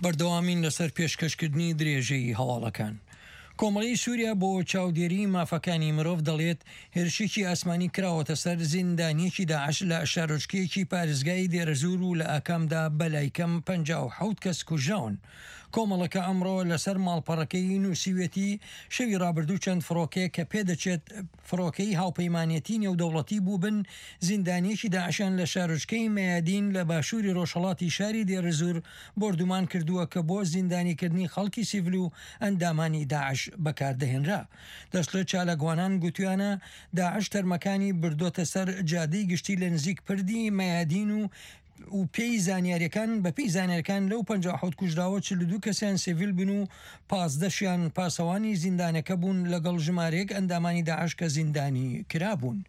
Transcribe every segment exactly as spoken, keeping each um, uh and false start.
بەردەوامین لەسەر پێشکەشکردنی درێژەی هەواڵەکان. کۆمەڵی سووریا بۆ چاودێری مافەکانی مرۆڤ دەڵێت هێرشێکی ئاسمانی کراوەتە سەر زیندانیەکی داعش لە شارۆچکەیەکی پارێزگای دێرەزور و لە ئاکامدا بەلایکەم پەنجا و حەوت کەس کوژراون. کۆمەڵەکە ئەمڕۆ لەسەر ماڵپەڕەکەی نووسیوێتی شەوی ڕابردوو چەند فڕۆکەیە کە پێدەچێت فڕۆکەی هاوپەیمانێتی نێودەوڵەتی بوو بن زیندانیەکی داعشیان لە شارۆچکەی مەیادین لە باشووری ڕۆژهەڵاتی شاری دێرەزور بۆردومان کردووە کە بۆ زیندانیکردنی خەڵکی سیڤل و ئەندامانی داعش بەکاردەهێنرا. دەشڵێت چالاکوانان گوتویانە داعش تەرمەکانی بردۆتە سەر جادەی گشتی لە نزیک پردی مەیادین و و پێی زانیاریەکان بە پێی زانیارەکان لەو پەنجا و حەوت کوژراوە چل و دوو کەسیان سیڤیل بن و پازدەشیان پاسەوانی زیندانەکە بوون لەگەڵ ژمارەیەک ئەندامانی داعش کە زیندانی کرابوون.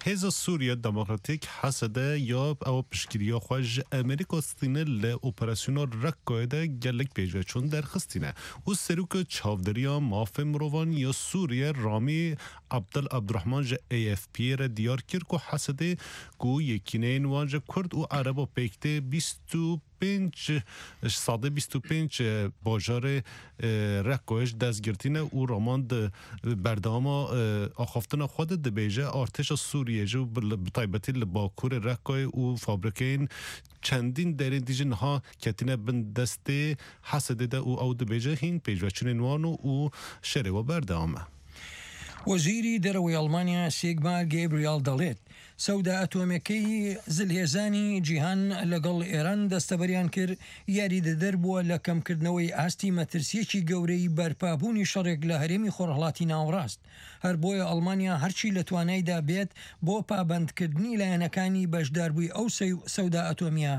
Hêza Sûriye Demokratîk, H S D, ya ew piştgiriya xwe ji Amerîka stîne li operasyona Reqqayê de gelek pêşveçûn derxistîne û Serokê Çavderiya Mafê Mirovan ya Sûriye Ramî Abdel Abdurrahman ji A F P'ê re diyar kir ku H S D ku yekîneyên wan ji Kurd û Ereba pêk tê bîst û pênc, ji sedê bîst û pênc bajarê, e, Reqqayê ji dest girtîne û Raman di berdewama, e, axaftina xwe de dibêje, artêşa Sûriyê ji bi, bi taybetî li Bakurê Reqqayê û fabrikeyên çendîn derên dî jî niha ketine bin destê H S D de û ew dibêje hîn pêşveçûnên wan û, û şerê we berdewam e. وەزیری دەرەوەی ئەڵمانیا سیگمار گەیبریال دەڵێت سەودا ئەتۆمەکەی زلهێزانی جیهان لەگەڵ ئێران دەستەبەریان کرد، یاریدەدەر بووە لە کەمکردنەوەی ئاستی مەترسیەکی گەورەی بەرپابوونی شەڕێک لە هەرێمی خۆرهەڵاتی ناوەڕاست. هەر بۆیە ئەڵمانیا هەرچی لە توانایدا بێت بۆ پابەندکردنی لایەنەکانی بەشداربووی ئەو سەو-، سەودا ئەتۆمیە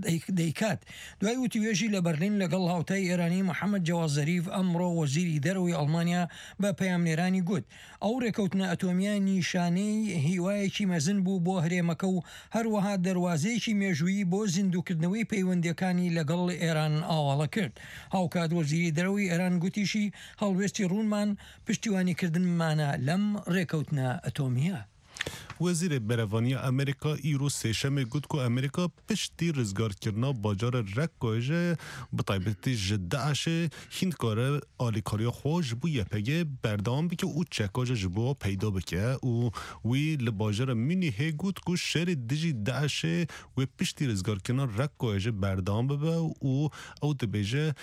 دەیک-، دەیکات. دوای وتیوێژی لە بەرلین لەگەڵ هاوتای ئێرانی محەممەد جەواد زەریف، ئەمڕۆ وەزیری دەرەوەی ئەڵمانیا بە پەیامنێرانی گوت ئەو ڕێکەوتنە ئەتۆمیە نیشانەی هیوایەکی مەزن بوو بۆ هەرێمەکە و هەروەها دەروازەیەکی مێژوویی بۆ زیندووکردنەوەی پەیوەندیەکانی لەگەڵ ئێران ئاواڵە کرد. هاوکات وەزیری دەرەوەی ئێران گوتیشی هەڵوێستی ڕوونمان پشتیوانیکردنمانە لەم ڕێکەوتنە ئەتۆمیە. Wezîrê Berevaniya Amerîka îro Sêşemê got ku Amerîka piştî rizgarkirina bajarê Reqqayê ji, bi taybetî ji DAIŞê, hîn dikare alîkariya xwe ji bo Y P G berdewam bike û çeka jî ji bo peyda bike û wî li bajara Munîhê got ku şerê dijî DAIŞê wê piştî rizgarkirina Reqqayê jî berdewam bibe û ew dibêje,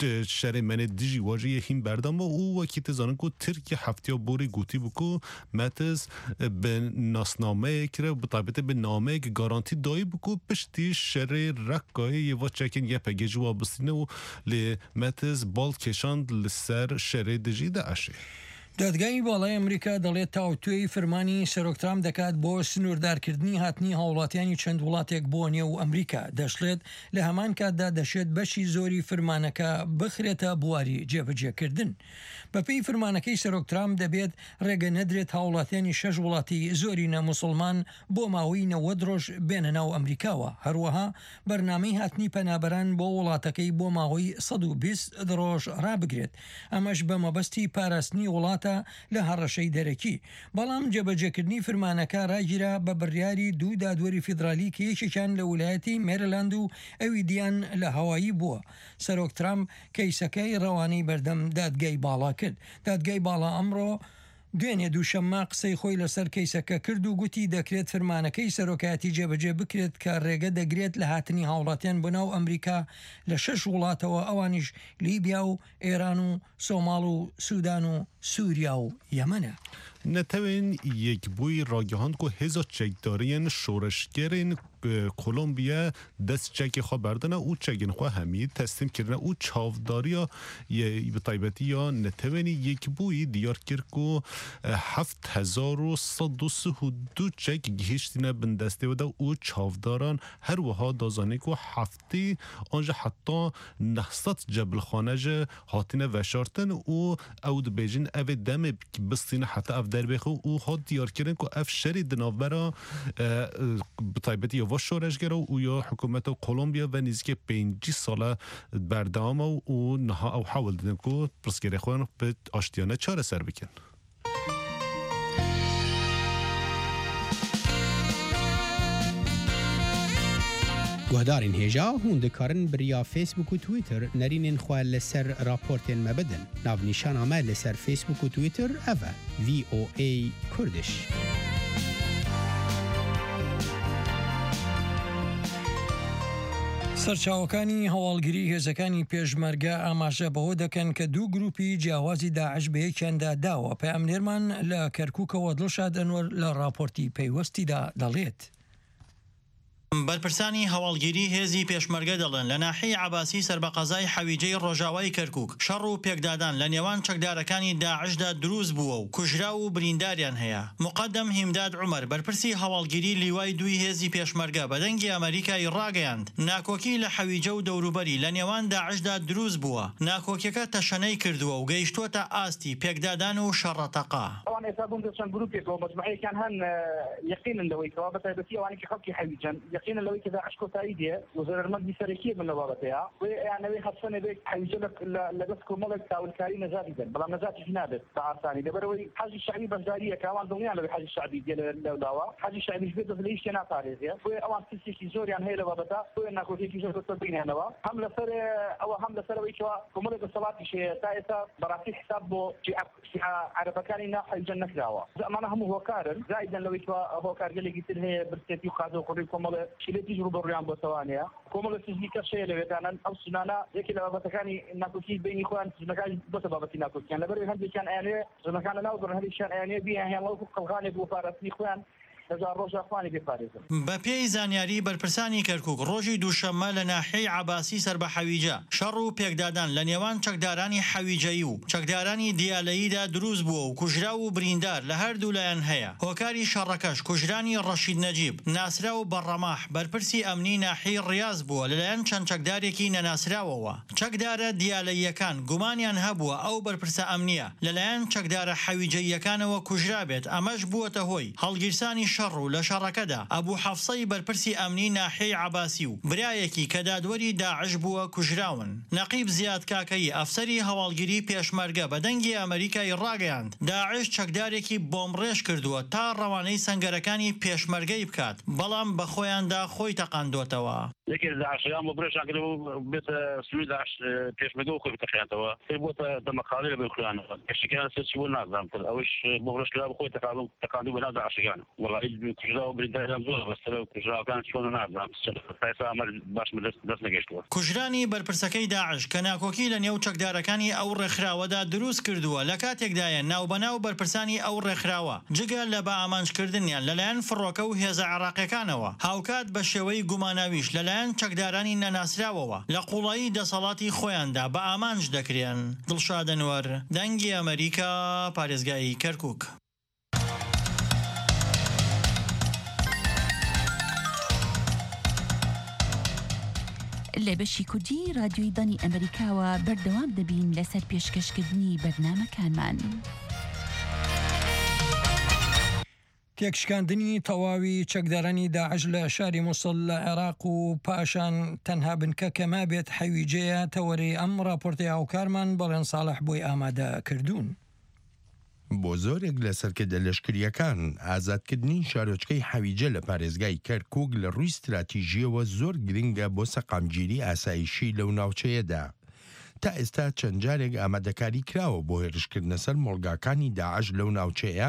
Di şerê me nê dijî wa jî yê hîn berdam bû û wekî tu zanin ku Tirkiye heftiya borî gotî bû ku Metiz, e, bi nasnameyek re, bi taybetî bi nameyek garantî dayî bû ku piştî şerê Reqqayê yê va çekên Y P G ji wa bistîne û lê Metiz bal kêşand li ser şerê dijî DAIŞê. دادگای باڵای ئەمریکا دەڵێت تاوتوێی فرمانی سەرۆک ترامپ دەکات بۆ سنووردارکردنی هاتنی هاوڵاتیانی چەند وڵاتێک بۆ نێو ئەمریکا. دەشڵێت لە هەمان کاتدا دەشێت بەشی زۆری فرمانەکە بخرێتە بواری جێبەجێکردن. بە پێی فرمانەکەی سەرۆک ترامپ دەبێت ڕێگە نەدرێت هاوڵاتیانی شەش وڵاتی زۆرینە موسڵمان بۆ ماوەی نەوەد ڕۆژ بێنە ناو ئەمریکاوە. هەروەها بەرنامەی هاتنی پەنابەران بۆ وڵاتەکەی بۆ ماوەی سەد و بیست ڕۆژ ڕابگرێت. ئەمەش بە مەبەستی پاراستنی وڵاتە لە هەڕەشەی دەرەکی. بەڵام جێبەجێکردنی فرمانەکە ڕاگیرا بە بڕیاری دوو دادوەری فیدرالی کە یەکێکیان لە ویلایەتی مێریلاند و ئەوی دیان لە هاوایی بووە. سەرۆک ترامپ کەیسەکەی ڕەوانەی بەردەم دادگای باڵا کرد. دادگای باڵا ئەمڕۆ دوێنێ دووشەممە قسەی خۆی لەسەر کەیسەکە کرد و گوتی دەکرێت فرمانەکەی سەرۆکایەتی جێبەجێ بکرێت کە ڕێگە دەگرێت لە هاتنی هاوڵاتیان بۆ ناو ئەمریکا لە شەش وڵاتەوە، ئەوانیش لیبیا و ئێران و سۆماڵ و سوودان و سووریا و یەمەنە. Netewên Yekbûyî ragihand ku hêza çekdariyên şoreşgerên, e, Kolombiya dest çekê xwe berdine û çekên xwe hemî teslîm kirine û çavdariya ye, bi taybetî ya Netewên Yekbûyî diyar kir ku, e, heft hezar û sed û sih û du çek gihiştine bin destê we de û çavdaran her wiha da zanîn ku heftê an jî heta neh sed cebilxane jî hatine veşartin û ew dibêjin, ev ê demê bistîne heta ev derbêxe û hat diyarkirin ku ev şerê di navbera, e, e, bi taybetî ya va şoreşgera û ya hikûmeta Kolombiya ve nêzîkê pêncî sal e berdewam e û niha ew hewl didin ku pirsgirêk xwe bi aştiyane çareser bikin. Guhdarên hêja, hûn dikarin bi riya Facebook û Twitter nerînên xwe li ser raportên me bidin. Navnîşana me li ser Facebook û Twitter ev e, V O A Kurdish. سەرچاوەکانی هەواڵگری هێزەکانی پێشمەرگە ئاماژە بەوە دەکەن کە دوو گروپی جیاوازی داعش بە یەکیاندا داوە. پەیامنێرمان لە کەرکووکەوە، دڵشاد ئەنوەر، لە راپۆرتی پەیوەستیدا دەڵێت. بەرپرسانی هەواڵگیری هێزی پێشمەرگە دەڵێن لە ناحیەی عەباسی سەر بە قەزای حەویجەی ڕۆژاوای کەرکووک شەڕ و پێکدادان لە نێوان چەکدارەکانی داعشدا دروست بووە و کوژراو و برینداریان هەیە. مقەدەم هیمداد عومەر، بەرپرسی هەواڵگیری لیوای دووی هێزی پێشمەرگە، بە دەنگی ئەمریکای ڕاگەیاند ناکۆکی لە حەویجە و دەوروبەری لە نێوان داعشدا دروست بووە. ناکۆکیەکە تەشەنەی کردووە و گەیشتووەتە ئاستی پێکدادان و شەڕەتەقە. ئەوان ئێستا بوون دەچەند گروپێکەوە، مەجموعەیەکیان هەن، ئە، یەقینن لەوەی کەوا، بە تایبەتی ئەوانی کە خەڵکی حەویجەن، یەقینن لەوەی کە داعش کۆتایی دێ و زەرەرمەندی سەرەکیە بن لە بابەتەیە. بۆیە ئەیانەوەی هەرچەنێ بێت حەویجە لە، لە، لە دەست کۆمەڵێک تاولکاری نەجاتی دەن، بەڵام نەجاتیشی نابێت بە ئاسانی، لەبەرەوەی حەزی شەعبی بەشداریەکە، ئەوان دڵنیان لەوەی حەزی شەعبی دێ لە، لەولاوە، حەزی شەعبیش بێت دەست لە هیچ شتێ ناتارێزێ. بۆیە ئەوان ترسێکی زۆریان هەیە لە بابەتە، بۆیە ناکۆکیەکی زۆر بەسەر بینیانەوە، هەم لەسەر ئەوە، هەم لەسەر ئەوەی کەوا کۆمەڵێک دەسەڵاتیش هەیە تا ئێستا بەڕاستی حساب بۆ شیعە، شیعە عەرەبەکانی ناو حەویجە نەکراوە. ئەمانە هەموو هۆکارن، زائیدەن لەوەی کەوا هۆکار گەلێکی تر هەیە، برسێتی و قازە و قڕی کۆمەڵێ شیلێتیش ڕوبەڕویان بۆتەوانەیە. کۆمەڵە سزنی کەش هەیە لەوێدانن. ئەو سنانە یەکێ لە بابەتەکانی ناکۆکی بینی خۆیان، سنەکان بۆتە بابەتی ناکۆکیان. لەبەر هەندێکیان ئەیانوێ سنەکان لە ناو بڕن، هەندێکیان ئەیانوێ بیان هێڵە وەکو قەڵغانێک بۆ پاراستنی خۆیان لە ژار ڕۆژا خوانی بێ پارێزن. بە پێی زانیاری بەرپرسانی کەرکووک، ڕۆژی دووشەممە لە ناحیەی عەباسی سەر بە حەویجە شەڕ و پێکدادان لە نێوان چەکدارانی حەویجەیی و چەکدارانی دیالەییدا دروست بووە و کوژراو و بریندار لە هەردوو لایەن هەیە. هۆکاری شەڕەکەش کوژرانی ڕەشید نەجیب، ناسراو بە ڕەماح، بەرپرسی ئەمنی ناحیەی ڕیاز بووە لەلایەن چەند چەکدارێکی نەناسراوەوە. چەکدارە دیالەییەکان گومانیان هەبووە ئەو بەرپرسە ئەمنیە لەلایەن چەکدارە حەویجەییەکانەوە کوژرابێت، ئەمەش بووەتە هۆی هەڵگیرسانی شەڕ و لە شەڕەکەدا ئەبوو حەفسەی بەرپرسی ئەمنی ناحیەی عەباسی و برایەکی کە دادوەری داعش بووە کوژراون. نەقیب زیاد کاکەیی، ئەفسەری هەواڵگیری پێشمەرگە، بە دەنگی ئەمریکای ڕاگەیاند داعش چەکدارێکی بۆمبڕێژ کردووە تا ڕەوانەی سەنگەرەکانی پێشمەرگەی بکات، بەڵام بە خۆیاندا خۆی تەقاندوتەوە. یەکێ لە داعشەکان بۆ برێژان کرد و بێتە سنووری داعش، پێشمەرگە و خۆی بتەقێنتەوە. پێی بۆتە دەمەقاڵی لە بێ خویانەوە. کەشتەکەیان سەر چی بۆ نازانم. ئەوش بۆ برێژ کرا بۆ خۆی تەقاندو-، تەقاندو بە ناو داعشەکان. وەڵا هیچ کوژراو و برینداریان زۆرە، بەس سەر و کوژراوەکان چۆن نازانم. تا ئێستا ئەمە باشمە دەست، دەست نەگەشتووە. کوژرانی بەرپرسەکەی داعش کە ناکۆکی لە نێو چەکدارەکانی ئەو ڕێکخراوەدا دروست کردووە، لە کاتێکدایە ناوبەناو بەرپرسانی ئەو ڕێکخراوە جگە لە بە ئامانجکردنیان لەلایەن فڕۆکە و هێزە عێراقیەکانەوە، هاوکات بە شێوەی گوماناویش لەلایەن چەکدارانی نەناسراوەوە لە قوڵایی دەسەڵاتی خۆیاندا بە ئامانج دەکرێن. دڵشاد ئەنوەر، دەنگی ئەمریکا، پارێزگای کەرکووک. لە بەشی کوردی رادیۆی دانی ئەمریکاوە بەردەوام دەبین لەسەر پێشکەشکردنی بەرنامەکانمان. تێکشکاندنی تەواوی چەکدارانی داعش لە شاری موسڵ لە عێراق و پاشان تەنها بنکە کە مابێت حەویجەیە، تەوەرەی ئەم راپۆرتەی هاوکارمان بەڵێن ساڵح بۆی ئامادە کردوون. بۆ زۆرێک لە سەرکردە لەشکریەکان، ئازادکردنی شارۆچکەی حەویجە لە پارێزگای کەرکووک لە ڕووی استراتیژیەوە زۆر گرنگە بۆ سەقامگیری ئاسایشی لەو ناوچەیەدا. تا ئێستا چەند جارێک ئامادەکاری کراوە بۆ هێرشکردنە سەر مۆڵگاکانی داعش لەو ناوچەیە،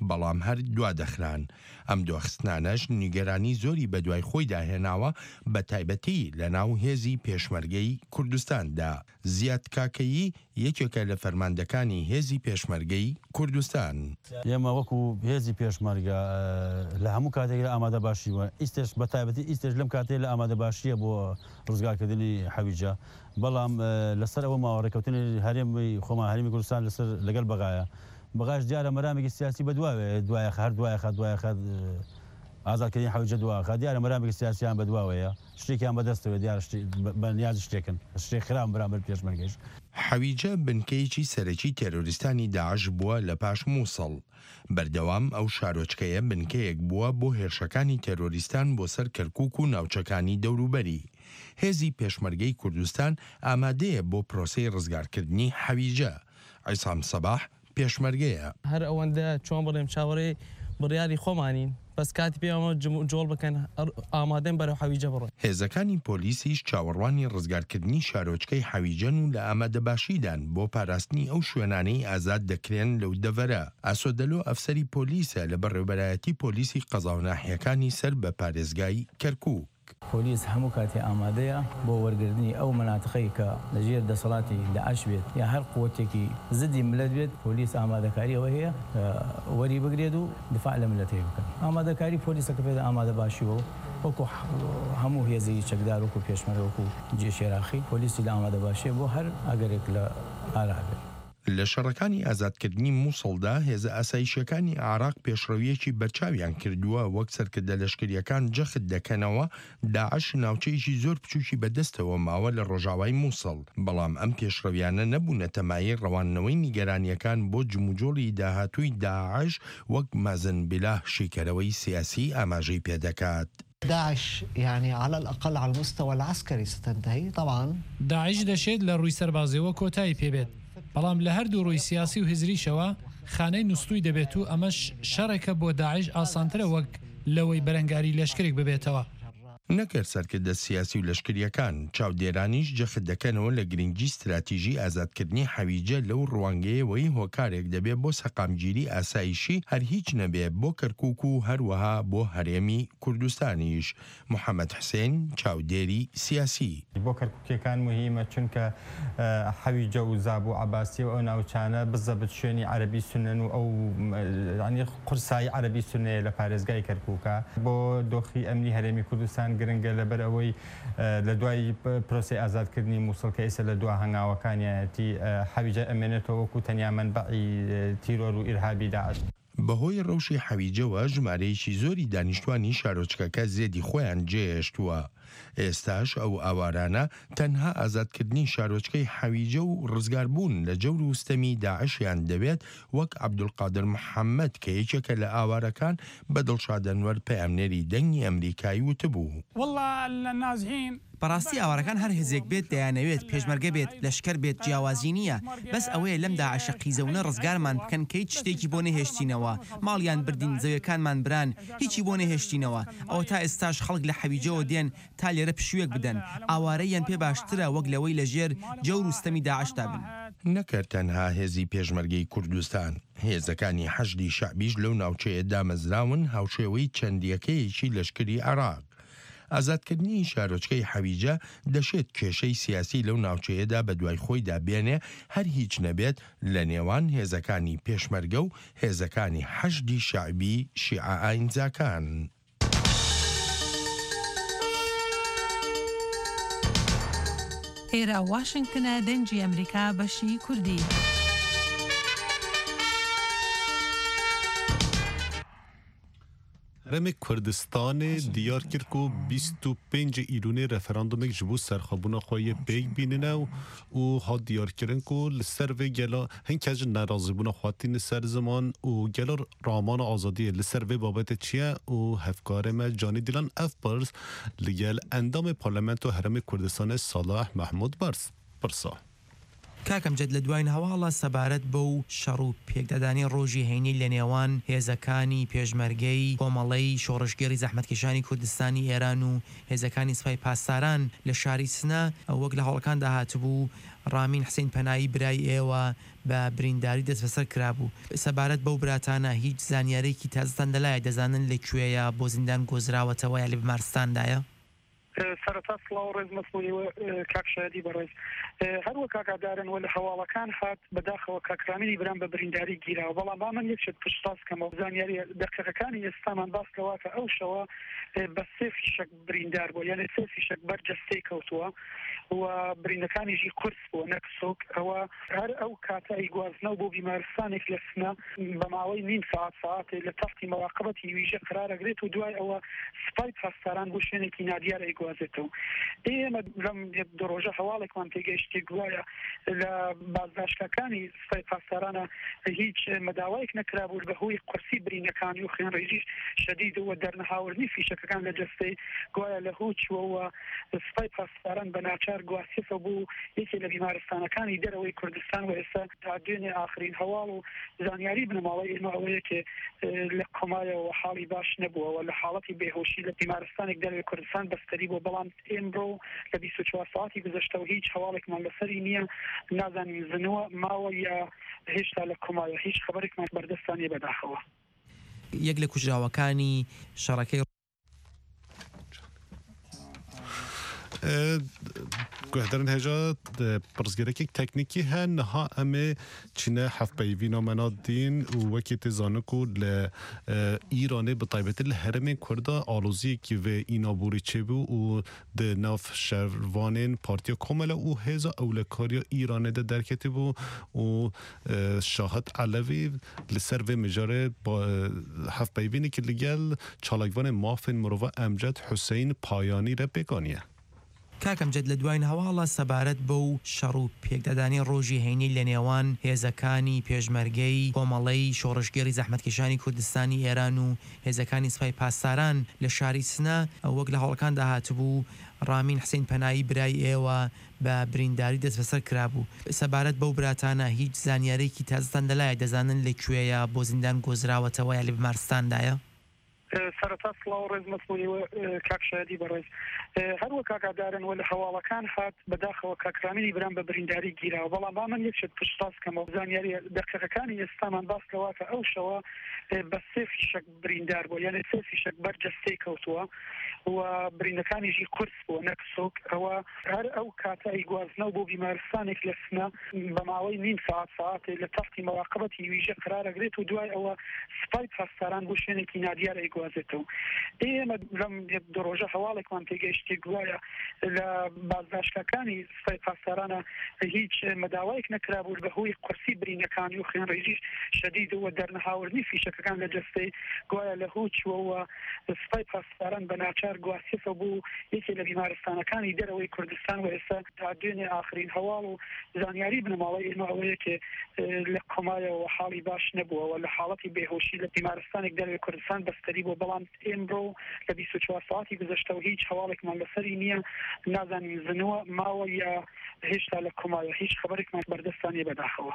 بەڵام هەر دوا دەخران. ئەم دواخستنانەش نیگەرانی زۆری بە دوای خۆیدا هێناوە، بە تایبەتی لە ناو هێزی پێشمەرگەی کوردستاندا. زیاد کاکەیی یەکێکە لە فەرماندەکانی هێزی پێشمەرگەی کوردستان. ئێمە وەکو هێزی پێشمەرگە، ئە، لە هەموو کاتێکدا ئامادە باشی بووە. ئیستێش، بە تایبەتی ئیستێش لەم کاتەیە لە ئامادە باشیە بۆ ڕزگارکردنی حەویجە. بەڵام، ئە، لەسەر ئەوە ماوە ڕێکەوتنی هەرێمی خۆمان، هەرێمی کوردستان لەسەر، لەگەڵ بەغایە. بەغاش دیارە مەرامێکی سیاسی بە دواوێ، دوایە خە-، هەر دوایە خە-، دوایە خە-، ئازادکردنی حەویجە دوا خە-، دیارە مەرامێکی سیاسیان بە دواوەیە. شتێکیان بەدەستەوە، دیارە شتێ-، بە، بە نیاز شتێکن. شتێک خراون بەرامبەر پێشمەرگەش. حەویجە بنکەیەکی سەرەکی تێرۆریستانی داعش بووە لە پاش موسڵ. بەردەوام ئەو شارۆچکەیە بنکەیەک بووە بۆ هێرشەکانی تێرۆریستان بۆ سەر کەرکووک و ناوچەکانی دەوروبەری. هێزی پێشمەرگەی کوردستان ئامادەیە بۆ پرۆسەی ڕزگارکردنی حەویجە. عیسام سەباح پێشمەرگەیە. هەر ئەوەندە چۆن بڵێم چاوەڕێی بڕیاری خۆمانین، بەس کاتی پێمەوە جم و جۆڵ بکەن، ئەر-، ئامادەن بەرەو حەویجە بڕۆین. هێزەکانی پۆلیسیش چاوەڕوانی ڕزگارکردنی شارۆچکەی حەویجەن و لە ئامادەباشیدان بۆ پاراستنی ئەو شوێنانەی ئازاد دەکرێن لەو دەڤەرە. ئاسۆدەلۆ ئەفسەری پۆلیسە لە بەڕێوەبەرایەتی پۆلیسی قەزا و ناحیەکانی سەر بە پارێزگای کەرکووک. پۆلیس هەموو کاتێ ئامادەیە بۆ وەرگرتنی ئەو مەناتقەی کە لە ژێر دەسەڵاتی داعش بێت یا هەر قوتێکی زدی ملت بێت، پۆلیس ئامادەکاری ئەوە هەیە کە وەری بگرێت و دفاع لە ملەتەی بکەن. ئامادەکاری پۆلیسەکە پێدا ئامادە باشیەوە، وەکو ح-، هەموو هێزی چەکدار، وەکو پێشمەرگە، وەکو جێشێراخی، پۆلیسی لە ئامادە باشیە بۆ هەر ئەگەرێک لە ئارا بێت. لە شەڕەکانی ئازادکردنی مووسڵدا، هێزە ئاسایشیەکانی عێراق پێشڕەویەکی بەرچاویان کردووە، وەک سەرکردە لەشکریەکان جەخت دەکەنەوە، داعش ناوچەیەکی زۆر بچووکی بەدەستەوە ماوە لە ڕۆژاوای مووسڵ. بەڵام ئەم پێشڕەویانە نەبوونەتە مایەی ڕەوانەوەی نیگەرانیەکان بۆ جموجۆڵی داهاتووی داعش، وەک مازن بیلاه، شیکەرەوەی سیاسی، ئاماژەی پێدەکات. داعش، يعني، على الأقل على المستوى العسكري ستنتهي، طبعا. داعش دەشێت لە ڕووی سەربازیەوە کۆتایی پێبێت، بەڵام لە هەردوو ڕووی سیاسی و هزریشەوە خانەی نوستووی دەبێت و ئەمەش شەڕێکە بۆ داعش ئاسانترە وەک لەوەی بەرەنگاری لەشکرێک ببێتەوە. نەکەر سەرکردە سیاسی و لەشکریەکان، چاودێرانیش جەخت دەکەنەوە لە گرنگی استراتیژی ئازادکردنی حەویجە لەو ڕوانگەیەوەی هۆکارێک دەبێت بۆ سەقامگیری ئاسایشی، هەر هیچ نەبێت بۆ کەرکووک و هەروەها بۆ هەرێمی کوردستانیش. محەممەد حسێن، چاودێری سیاسی. بۆ کەرکووکیەکان مهمە، چونکە، ئە، حەویجە و زاب و عەباسی و ئەو ناوچانە بزەبت شوێنی عەرەبی سونەن و ئەو، ئە، یعنی، قورسایی عەرەبی سونەیە لە پارێزگای کەرکووکە. بۆ دۆخی ئەمنی هەرێمی کوردستان گرنگە، لەبەر ئەوەی، ئە، لە دوای پ-، پرۆسەی ئازادکردنی مووسڵ کە ئێستا لە دوا هەنگاوەکانیایەتی، ئە، حەویجە ئەمێنێتەوە وەکو تەنیا مەنبەعی، ئە، تیرۆر و ئیرهابی داعش. بەهۆی ڕەوشی حەویجەوە ژمارەیەکی زۆری دانیشتوانی شارۆچکەکە زێدی خۆیان جێهێشتووە. ئێستاش ئەو ئاوارانە تەنها ئازادکردنی شارۆچکەی حەویجە و ڕزگاربوون لە جەور و ستەمی داعشیان دەوێت، وەک عەبدولقادر محەممەد کە یەکێکە لە ئاوارەکان بە دڵشاد ئەنوەر پەیامنێری دەنگی ئەمریکای وتبوو. والله النازحين بەڕاستی ئاوارەکان هەر هێزێک بێت دەیانەوێت، پێشمەرگە بێت، لەشکەر بێت، جیاوازی نییە. بەس ئەوەیە لەم داعشە قیزەونە ڕزگارمان بکەن کە هیچ شتێکی بۆ نەهێشتینەوە. ماڵیان بردین، زەویەکانمان بران، هیچی بۆ نەهێشتینەوە. ئەوە تا ئێستاش خەڵک لە حەویجەوە دێن تا لێرە پشوویەک بدەن. ئاوارەییان پێ باشترە وەک لەوەی لە ژێر جەور و ستەمی داعشدا بن. نەکەر تەنها هێزی پێشمەرگەی کوردستان، هێزەکانی حەشدی شەعبیش لەو ناوچەیە دامەزراون، هاوشێوەی چەندیەکەیەکی لەشکری عێراق. ئازادکردنی شارۆچکەی حەویجە دەشێت کێشەی سیاسی لەو ناوچەیەدا بە دوای خۆیدا بێنێ، هەر هیچ نەبێت لە نێوان هێزەکانی پێشمەرگە و هێزەکانی حەشدی شەعبی شیعە ئاینزاکان. ئێرە واشنگتنە، دەنگی ئەمریکا، بەشی کوردی. Herêmê Kurdistanê diyar kir ku bîst û pêncê Îlûnê referandumêk ji bo serxwebûna xwe yê pêk bînine û, û hat diyarkirin ku li ser vê gela hin kes ji nerazîbûna xwe tîne ser ziman û gela ramana azadiyê li ser vê babetê çi ye û hevkarê me Canî Dîlan ev pirs li gel endamê Parlamentoya Herêmê Kurdistanê Salih Mehmûd Bars pirsa. کاک ئەمجەد، لە دوایین هەواڵە سەبارەت بەو شەڕ و پێکدادانی ڕۆژی هەینی لە نێوان هێزەکانی پێشمەرگەی کۆمەڵەی شۆڕشگێڕی زەحمەتکێشانی کوردستانی ئێران و هێزەکانی سپای پاسداران لە شاری سنە، وەک لە هەواڵەکاندا هاتبوو، ڕامین حسین پەنایی برای ئێوە بە برینداری دەست بەسەر کرابوو. سەبارەت بەو براتانە هیچ زانیارێکی تازەتان لەلایە؟ دەزانن لە کوێیە، بۆ زیندان گۆزراوەتەوە یا لە بیمارستاندایە؟ سەرەتا سڵاو و ڕێز مەسمونی و، ئە، کاک شایەدی بەڕێز. ئە، هەروە کاک ئادارن و لە هەواڵەکان هات، بەداخەوە کاک ڕامینی برام بە برینداری گیراوە، بەڵام با من یەک شت پشتڕاست کەمەوە. زانیاری دەقیقەکانی ئێستامان باس لەوە کە ئەو شەوە، ئە، بە سێ فیشەک بریندار بووە، یعنی سێ فیشەک بەر جەستەی کەوتووە و بریندەکانیشی قورس بووە، نەک سوک. ئەوە هەر ئەو کاتە ئەیگوازنەوە بۆ بیمارستانێک لە سنە، بە ماوەی نیم سەعات، سەعاتێ لە تەحتی مەراقبەتی ویژە قرار ئەگرێت و دوای ئەوە سپای پاسداران بۆ شوێنێکی نادیار ئەیگوازنێت. بازێتەوە. ئێمە لەم دو ڕۆژە هەواڵێکمان تێگەیشتی، گوایە لە بازداشتگاکانی سپای پاسدارانە هیچ مەداوایەک نەکرابوو بە هۆی قورسی برینەکانی و خوێنڕێژی شەدید و دەرنەهاوردنی فیشەکەکان لە جەستەی، گوایە لە هۆ چووەوە سپای پاسداران بە ناچار گواستیەوە بۆ یەکێ لە بیمارستانەکانی دەرەوەی کوردستان و ئێستا تا دوێنێ ئاخرین هەواڵ و زانیاری بنەماڵەی ئێمە ئەوەیە کە، ئێ، لە کۆمایەوە حاڵی باش نەبووەوە، لە حاڵەتی بێهۆشی لە بیمارستانێک دەرەوەی کوردستان بەستەری بوو، بەڵام ئێمڕۆ لە بیست و چوار ساعتی گوزەشتەوە هیچ هەواڵێکمان لەسەری نییە، نازانین زنوە ماوە یا هێشتا لە کۆمایە، هیچ خەبەرێکمان بەردەستان نیە بەداخەوە. یەک لە کوژراوەکانی شەڕەکەی ئە، گوهدەرن هێژا، ئە، پرسگەرەکێک تەکنیکی هەن، نەها ئەمێ چینە هەفپەیڤی نامەنا دین و وەکی تێ زانکو لە، ئە، ئیرانێ بە تایبەتی لە هەرمێن کوردا ئالۆزیەکی vê ئینابووری چێبوو و di nav şervanên Partiya Komele û Hêza Ewlekarî ya Îranê de derketibû û, e, Şahid Elevî li ser vê mijarê ba-, hevpeyvînekî li gel çalakvanê mafên mirova Emced Huseyîn Payanî re pêk aniye. کاک ئەمجەد، لە دوایین هەواڵە سەبارەت بەو شەڕ و پێکدادانی ڕۆژی هەینی لە نێوان هێزەکانی پێشمەرگەی کۆمەڵەی شۆڕشگێڕی زەحمەتکێشانی کوردستانی ئێران و هێزەکانی سپای پاسداران لە شاری سنە، وەک لە هەواڵەکاندا هاتبوو، ڕامین حسین پەنایی برای ئێوە بە برینداری دەست بەسەر کرابوو. سەبارەت بەو براتانە هیچ زانیارێکی تازەتان لەلایە؟ دەزانن لە کوێیە، بۆ زیندان گۆزراوەتەوە یا لە بیمارستاندایە؟ ئە، سەرەتا سڵاو و ڕێز مەسمونی و، ئە، کاک شایەدی بەڕێز. ئە، هەر وەک ئاگادارن و لە هەواڵەکان هات، بەداخەوە کاک ڕامینی برام بە برینداری گیراوە، بەڵام با من یەک شت پشتڕاست کەمەوە. زانیاری دەقیقەکانی ئێستامان باس لەوە کە ئەو شەوە، ئە، بە سێ فیشەک بریندار بووە، یعنی سێ فیشەک بەر جەستەی کەوتووە و بریندەکانیشی قورس بووە، نەک سوک. ئەوە هەر ئەو کاتە ئەیگوازنەوە بۆ بیمارستانێک لە سنە، بە ماوەی نیم ساعت، ساعتێ لە تەحتی مەراقبەتی ویژە قرار ئەگرێت و دوای ئەوە سپای پاسداران بۆ شوێنێکی نادیار ئەیگوازێتەوە. ئێمە لەم دو ڕۆژە هەواڵێکمان تێگەیشتی، گوایە لە بازداشتگاکانی سپای پاسدارانە هیچ مەداوایەک نەکرابوو بە هۆی قورسی برینەکانی و خوێنڕێژی شەدید و دەرنەهاوردنی فیشەکەکان لە جەستەی، گوایە لە هۆ چووەوە سپای پاسداران بە ناچار گواستیەوە بۆ یەکێ لە بیمارستانەکانی دەرەوەی کوردستان و ئێستا تا دوێنێ ئاخرین هەواڵ و زانیاری بنەماڵەی ئێمە ئەوەیە کە، ئێ، لە کۆمایەوە حاڵی باش نەبووەوە، لە حاڵەتی بێهۆشی لە بیمارستانێک دەرەوەی کوردستان بەستەری بوو، بەڵام ئێمڕۆ لە بیست و چوار ساعتی گوزەشتەوە هیچ هەواڵێکمان لەسەری نییە، نازانین زنوە ماوە یا هێشتا لە کۆمایە، هیچ خەبەرێکمان بەردەستان نیە بەداخەوە.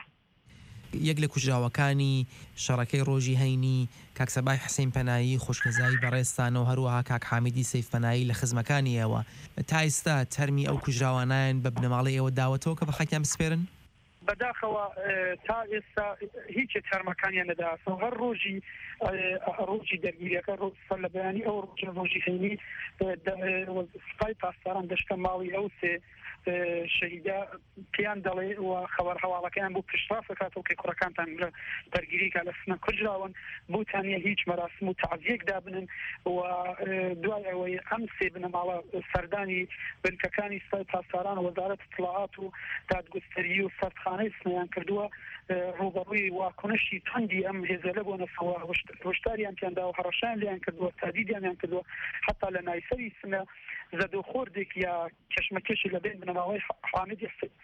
یەک لە کوژراوەکانی شەڕەکەی ڕۆژی هەینی، کاک سەبای حسین پەنایی، خوشکەزای بەڕێزتانەوە، هەروەها کاک حامیدی سەیف پەنایی لە خزمەکانی ئێوە. تا ئێستا تەرمی ئەو کوژراوانایان بە بنەماڵەی ئێوە داوەتەوە کە بە خاکیان بسپێرن؟ بەداخەوە، ئێ، تا ئێستا هیچ تەرمەکانیان نەداسەوە. هەر ڕۆژی، ئێ، ڕۆژی دەرگیریەکە، ڕۆ-، سەر لە بەیانی ئەو ڕۆژە، ڕۆژی هەینی، ئێ، دە-، ئێ، سپای پاسداران دەشتە ماڵی ئەو سێ، ئێ، شەهیدە، پێیان دەڵێ و خەبەر هەواڵەکەیان بۆ پشتڕاست دەکاتەوە کە کوڕەکانتان لە بەرگریکە لە سنە کوژراون، بۆتانە هیچ مەراسم و تعزیەک دابنن و، ئێ، دوای ئەوەی ئەم سێ بنەماڵە سەردانی بنکەکانی سپای پاسداران، وەزارەت اطلاعات و دادگوستەری و سەردخانەی سنەیان کردووە، ئێ، ڕوبەڕووی واکنشی توندی ئەم هێزە لە بۆنەسەوە هشت-، هشداریان پێیان داوە، هەڕەشەیان لێیان کردووە، تادیدیان کردووە، حتا لە نایسەری سنە زەدۆخۆردێک یا کەشمەکەشی لە بین بنەماڵەی حامید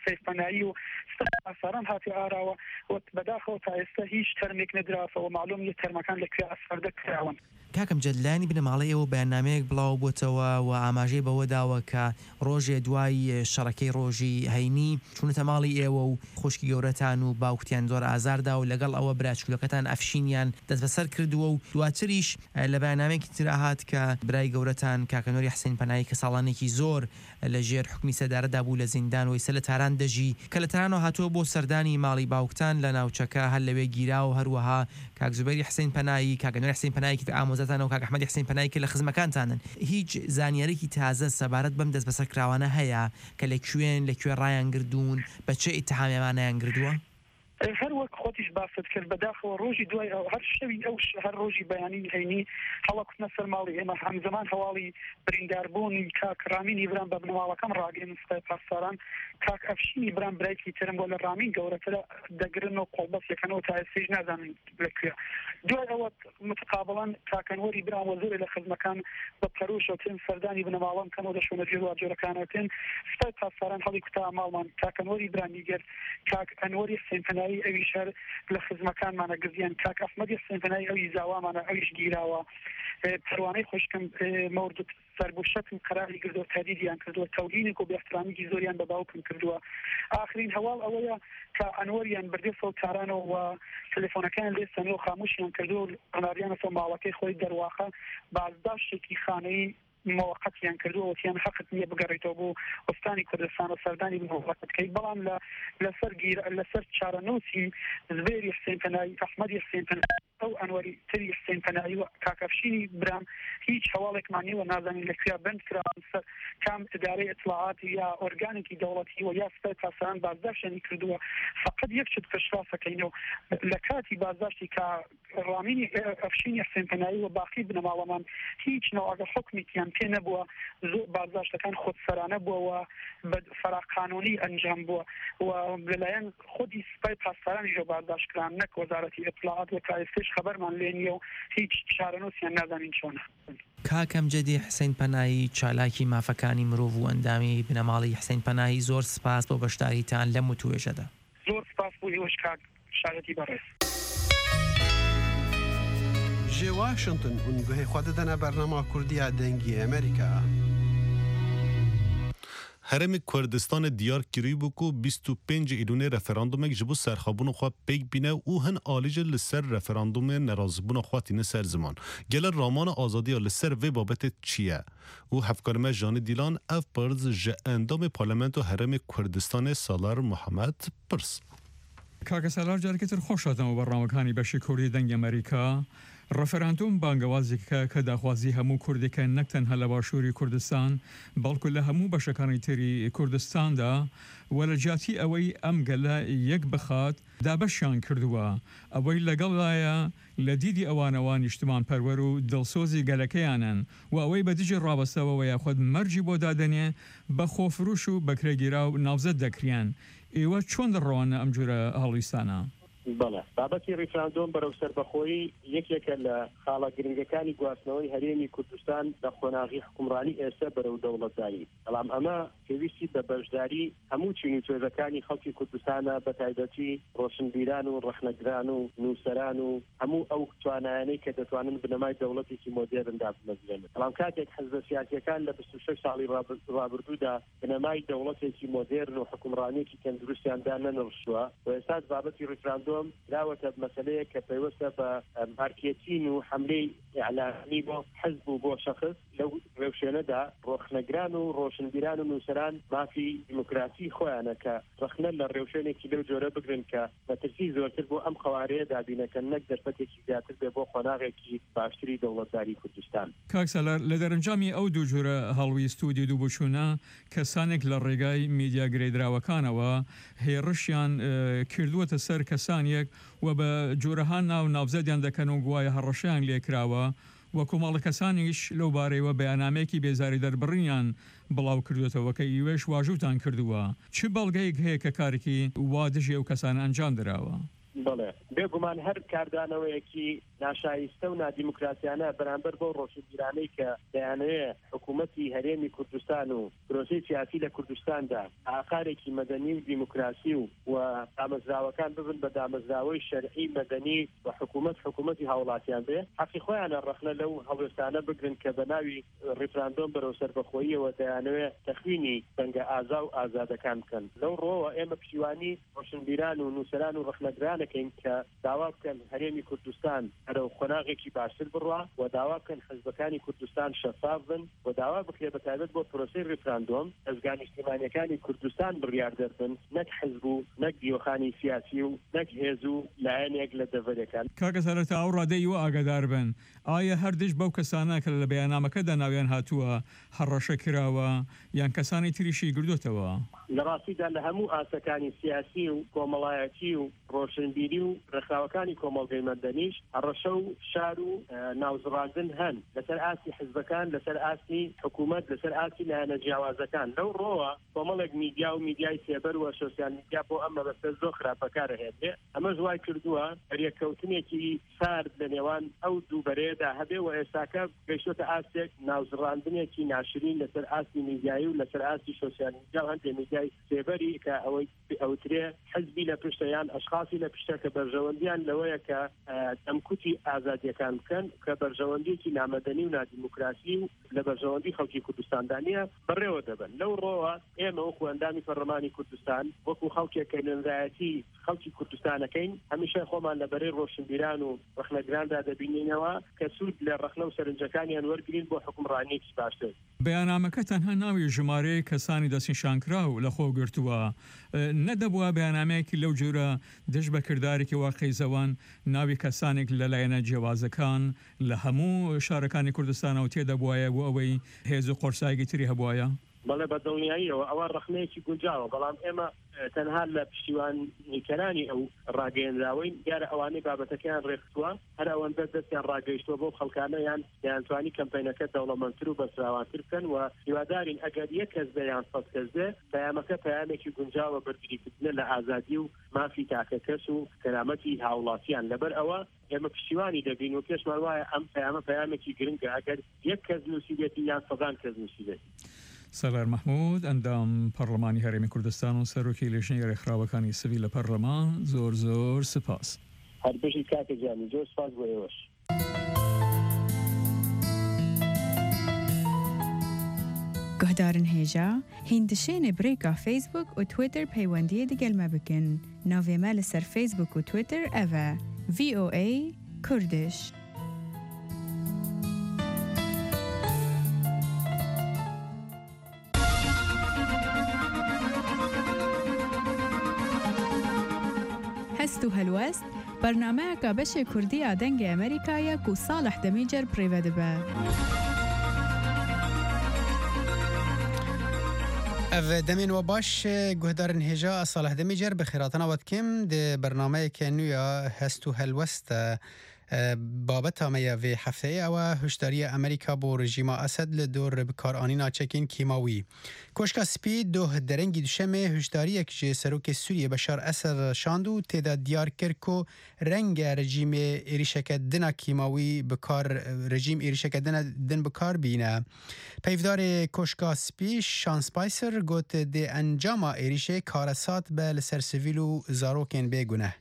سەیفەنایی و سپای پاسداران هاتی ئاراوە و بەداخەوە تا ئێستا هیچ تەرمێک نەدراوەتەوە، معلوم نیە تەرمەکان لە کوێ ئاسفەردە کراون. کاک ئەمجەد، لایەنی بنەماڵەی ئێوە بەیاننامەیەک بڵاو بۆتەوە و ئاماژەی بەوە داوە کە ڕۆژێ دوای شەڕەکەی ڕۆژی هەینی چوونەتە ماڵی ئێوە و خوشکی گەورەتان و باوکتیان زۆر ئازاردا و لەگەڵ ئەوە براچکولەکەتان ئەفشینیان دەست بەسەر کردووە و دواتریش، ئە، لە بەیاننامەیەکی ترا هات کە برای گەورەتان کاکە نوری حسین پەنایی کە ساڵانێکی زۆر لە ژێر حکمی سەدارەدا بوو لە زیندان و ئێستا لە تاران دەژی، کە لە تارانەوە هاتووە بۆ سەردانی ماڵی باوکتان لە ناوچەکە، هەر لەوێ گیرا و هەروەها کاک زوبەیری حسین پەنایی، کاک نوری حسین پەنایی کە ئامۆزاتان و کاک ئەحمەدی حسین پەنایی کە لە خزمەکانتانن. هیچ زانیارێکی تازە سەبارەت بەم دەست بەسەر کراوانە هەیە کە لە کوێن، لە کوێ ڕایان گردوون، بە چه ئیتهامی ئەمانەیان گردووە؟ هەر وەک خۆتیش باست کرد، بەداخەوە ڕۆژی دوای ئەو، هەر شەوی ئەو ش-، هەر ڕۆژی بەیانی هەینی هەڵەکوتنە سەر ماڵی ئێمە، هەمزەمان هەواڵی برینداربوونی کاک ڕامینی برام بە بنەماڵەکەم ڕاگەین، سپای پاسداران کاک ئەفشینی برام برایکی ترم بۆ لە ڕامین گەورەترە دەگرن و قۆڵبەسێکەنەوە، تا ئێستەیش نازانن لە کوێ. دوای ئەوە متقابلان کاک ئەنوەری برام وەزیرە لە خزمەکان بە پەروشەوتن سەردانی بنەماڵەم کەنەوە لە شوێنە جوێن و جۆرەکانەوتن. سپای پاسداران هەڵی کوتا ماڵمان. کاک ئەنوەری برام نیگەر، کاک ئەنوەری حسێن پەنایی ئەویش هەر لە خزمەکانمانە گزیان. کاک ئەحمەدی حسێن پەنایی ئەوی زاوامانە، ئەویش گیراوە. ئێ، پەروانەی خوشکم، ئێ، مەوردت سەربوشەتم قەراری گردو تەدیدیان کردووە، تەوهینێک و بێحترامیکی زۆریان بە باوکم کردووە. ئاخرین هەواڵ ئەوەیە کە ئەنوەریان بردێ سەو تارانەوە و تەلەفۆنەکەیان لێ سەنەوە خاموشیان کردووە و قەناریانە سەو ماڵەکەی خۆی دەرواخە بازداشتێکی خانەی مەوەقەتیان کردووە، وتیان حەقت نییە بگەڕێیتەوە بۆ ئوستانی کوردستان و سەردانی بنەماڵەکە بکەیت. بەڵام لە، لەسەر گیر-، لەسەر چارەنووسی زبێری حسێن پەنایی، ئەحمەدی حسێن پەنایی، ئەو ئەنوەری تری حسێن پەنایی و کاکەفشینی برام هیچ هەواڵێکمان نیوە، نازانین لە کوێ بند کراون، سەر کام ئیدارەی ئیتلاعات یا ئۆرگانێکی دەوڵەتی و یا سپای پاسداران بازداشتیانی کردووە. فقط یەک شت پشتڕاستەکەینەوە، لە کاتی بازداشتی کە ڕامینی ئەفشینی حسێن پەنایی و باقی بنەماڵەمان هیچ نەوەگە حکمێکیان پێ نەبووە. زۆر بازداشتەکان خودسەرانە بووەوە، بە فەراقانونی ئەنجام بووە و لەلایەن خودی سپای پاسدارانیشەوە بازداشت کران، نەک وەزارەتی ئیتلاعات، و تا ئێستەش خەبەرمان لێ نییە و هیچ چارەنووسیان نازانین چۆنە. کاک ئەمجەدی حسین پەنایی، چالاکی مافەکانی مرۆڤ و ئەندامی بنەماڵی حسین پەنایی، زۆر سپاس بۆ بەشداریتان لەم وتوێژەدا. زۆر سپاس بۆ ئێوەش کاک شارەتی بەڕێز. Ji Washington hûn guhê xwe didine bernama Kurdiya Dengê Amerîka. Herêmê Kurdistanê diyar kirîbû ku bîst û pênc Îlûnê referandumek ji bo serxwebûna xwe pêk bîne û hin alî jî li ser referandumê nerazîbûna xwe tîne ser ziman. Gele ramana azadiya li ser vê babetê çi ye? Û hevkarê me Janî Dîlan ev pirz ji endamê Parlamento Herêmê Kurdistanê Salar Muhammed pirs. کاکە سالار، جارێکی تر خۆش هاتنەوە بەڕنامەکانی بەشی کوردی دەنگی ئەمریکا. ڕەفەراندوم بانگەوازێکە کە داخوازی هەموو کوردێکە، نەک تەنها لە باشووری کوردستان، بەڵکو لە هەموو بەشەکانی تری کوردستاندا، و لە جیاتی ئەوەی ئەم گەلە یەک بخات، دابەشیان کردووە. ئەوەی لەگەڵدایە لە دیدی ئەوانەوە نیشتمان پەروەر و دڵسۆزی گەلەکەیانن، و ئەوەی بە دژی ڕابەستەوە و یاخود مەرجی بۆ دادەنێ، بە خۆفروش و بەکرێگیرا و ناوزەد دەکرێن. ئێوە چۆن دەڕەوانە ئەم جورە هەڵویستانە؟ بەڵێ، بابەتی ریفراندۆم بەرەو سەربەخۆیی یەکێکە لە خاڵە گرنگەکانی گواستنەوەی هەرێمی کوردستان لە قۆناغی حکومڕانی ئێستا بەرەو دەوڵەتداری. بەڵام ئەمە پێویستی بە بەشداری هەموو چین و توێژەکانی خەڵکی کوردستانە، بە تایبەتی ڕۆشنبیران و ڕەخنەگران و نووسەران و هەموو ئەو توانایانەی کە دەتوانن بنەمای دەوڵەتێکی مۆدێرن دابمەزرێنن. بەڵام کاتێک حزبە سیاسیەکان لە بیست و شەش ساڵی ڕابر-، ڕابردوودا بنەمای دەوڵەتێکی مۆدێرن و حکومڕانیەکی تەندروستیان دانەنرشتووە و ئێستاش بابەتی ریفراندۆم دراوەتە مەسەلەیەک کە پەیوەستە بە، ئە، مارکێتین و حەملەی ئیعلامی بۆ حزب و بۆ شەخص. لەو ڕێوشوێنەدا ڕۆخنەگران و ڕۆشنبیران و نووسەران مافی دیموکراسی خۆیانە کە ڕەخنە لە ڕێوشوێنێکی لەو جۆرە بگرن کە مەترسی زۆرتر بۆ ئەم قەوارەیە دابینەکەن، نەک دەرفەتێکی زیاتر بێ بۆ قۆناغێکی باشتری دەوڵەتداری کوردستان. کاک سالار، لە دەرەنجامی ئەو دوو جۆرە هەڵویست و دید و بۆچوونە، کەسانێک لە ڕێگای میدیا گرێدراوەکانەوە هێڕشیان، ئە، کردووەتە سەر کەسانێک و بە جۆرەها ناو ناوزەدیان دەکەن و گوایە هەڕەشەیان لێکراوە، و کۆمەڵە کەسانیش لەو بارەیەوە بەیانامەیەکی بێزاری دەربڕینیان بڵاو کردوێتەوە کە ئیوێش واژووتان کردووە. چ بەڵگەیەک هەیە کە کارێکی وا دژی ئەو کەسانە ئەنجام دراوە؟ بەڵێ، بێگومان هەر کاردانەوەیەکی ناشایستە و نادیموکراسیانە بەرامبەر بەو ڕۆشنبیرانەی کە دەیانەوێ حکوومەتی هەرێمی کوردستان و پرۆسەی سیاسی لە کوردستاندا ئاقارێکی مەدەنی و دیموکراسی و، و دامەزراوەکان ببن بە دامەزراوەی شەرعی مەدەنی و حکوومەت حکوومەتی هاوڵاتیان بێ، حەقی خۆیانە ڕەخنە لەو هەڵوێستانە بگرن کە بە ناوی ریفراندۆم بەرەو سەربەخۆییەوە دەیانەوێ تەخوینی دەنگە ئازا و ئازادەکان بکەن. لەو ڕۆوە ئێمە پشتیوانی ڕۆشنبیران و نووسەران و ڕەخنەگرانەکەین کە داوا بکەن هەرێمی کوردستان بەرەو قۆناغێکی باشتر بڕوا و داوا بکەن حزبەکانی کوردستان شەفاف بن و داوا بکرێت بە تایبەت بۆ پرۆسەی ریفراندۆم دەزگا نیشتیمانیەکانی کوردستان بڕیاردەر بن، نەک حزب و نەک دیۆخانی سیاسی و نەک هێز و لایەنێک لە دەڤەرێکان. کاکە سەرەتا ئەو ڕادەی ئێوە ئاگادار بن، ئایا هەر دژ بەو کەسانە کە لە بەیانامەکەدا ناویان هاتووە هەڕەشە کراوە، یان کەسانی تریشی گردوتەوە؟ لە ڕاستیدا لە هەموو ئاسەکانی سیاسی و کۆمەڵایەتی و ڕۆشنبیری و ڕێکخراوەکانی کۆمەڵگەی مەدەنیش هەڕەشە و فشار و، ئە، ناوزڕاندن هەن. لەسەر ئاستی حزبەکان، لەسەر ئاستی حکوومەت، لەسەر ئاستی لایەنە جیاوازەکان. لەو ڕۆوە کۆمەڵێک میدیا و میدیای سێبەر و سۆسیال میدیا بۆ ئەم مەبەستە زۆر خراپ بەکارەهێنرێ. ئەمەش وای کردووە بەریەککەوتنێکی سارد لە نێوان ئەو دوو بەرەیەدا هەبێ و ئێستاکە گەیشتوتە ئاستێک ناوزڕاندنێکی ناشرین لەسەر ئاستی میدیایی و لەسەر ئاستی سۆسیال میدیا و هەندێک میدیای سێبەری کە ئەوەی ئەوترێ حزبی لە پشتە یان ئەشخاصی لە پشتە کە بەرژەوەندیان لەوەیە کە، ئە، دەمکوتی ئازادیەکان بکەن، کە بەرژەوەندیەکی نامەدەنی و نادیموکراسی و لە بەرژەوەندی خەڵکی کوردستاندا نییە، بەڕێوە دەبن. لەو ڕۆوە ئێمە وەکو ئەندامی پەرلەمانی کوردستان، وەکو خەڵکێک کە نوێنەرایەتی خەڵکی کوردستانەکەین، هەمیشە خۆمان لە بەرەی ڕۆشنبیران و ڕەخنەگراندا دەبینینەوە کە سوود لە ڕەخنە و سەرنجەکانیان وەرگرین بۆ حکومڕانیەکی باشتر. بەیاننامەکەتان هەر ناوی ژمارەیەک کەسانی دەستنیشانکراو لە خۆ گرتووە. نەدەبووە بەیاننامەیەکی لەو جۆرە دژ بە کردارێکی وا قەیزەوان ناوی کەسانێک لە لایەنە جیاوازەکان لە هەموو شارەکانی کوردستانەوە تێدەبوایە بۆ ئەوەی هێز و قۆرسایەکی تری هەبوایە؟ بەڵێ، بە دڵنیاییەوە ئەوە ڕەخنەیەکی گونجاوە، بەڵام ئێمە، ئە، تەنها لە پشتیوانیکەرانی ئەو ڕاگەیەندراوەین. دیارە ئەوانەی بابەتەکەیان ڕێکخستووە هەر ئەوەندە دەستیان ڕاگەیشتووە بەو خەڵکانە، یان دەیانتوانی کەمپەینەکە دەوڵەمەندتر و بەرفراوانتر بکەن و هیوادارین ئەگەر یەک کەس بێ یان سەد کەس بێ، پەیامەکە پەیامێکی گونجاوە بەرگریکردنە لە ئازادی و مافی تاکە کەس و کەرامەتی هاوڵاتیان. لەبەر ئەوە ئێمە پشتیوانی دەبین و پێشمان وایە ئەم پەیامە پەیامێکی گرنگە. ئەگەر یەک کەس نووسیبێتی یان سەدان کەس نووسیبێتی. سەلار مەحموود، ئەندام پەرلەمانی هەرێمی کوردستان و سەرۆکی لیژنەی ڕێکخراوەکانی سڤیل لە پەرلەمان، زۆر زۆر سپاس. هەر بژی کاکە جانی، زۆر سپاس بۆ ئێوەش. Guhdarên hêja hîn dişênê bi rêka Facebook û Twitter peywendiyê digel me bikin. Navê me li ser Facebook û Twitter ev e, V O A Kurdish. Hest û helwest, bernameyeka beşê Kurdî ya Dengê Amerîka ye ku Salih Demîcer bi rê ve dibe. Ev demên we baş, guhdarên hêja, ez Salih Demîcer bi xêrhatina we dikim di bernameyeke nû ya Hest û Helwest de. E, babeta me ya vê hefteyê ew e hişdariya Amerîka bo rejîma Esed li dor bikaranîna çekên kîmawî. Koşka Spî doh derengî duşemê hişdariyek ji Serokê Sûriyê Beşar Esed re şand û tê de diyar kir ku renge rejîmê êrîşeke din a kîmawî bi kar, rejîm êrîşeke din, din bi kar bîne. Peyvdarê Koşka Spî Sean Spicer got, di encama êrîşê karesat be li ser sivîl û zarokên bê guneh.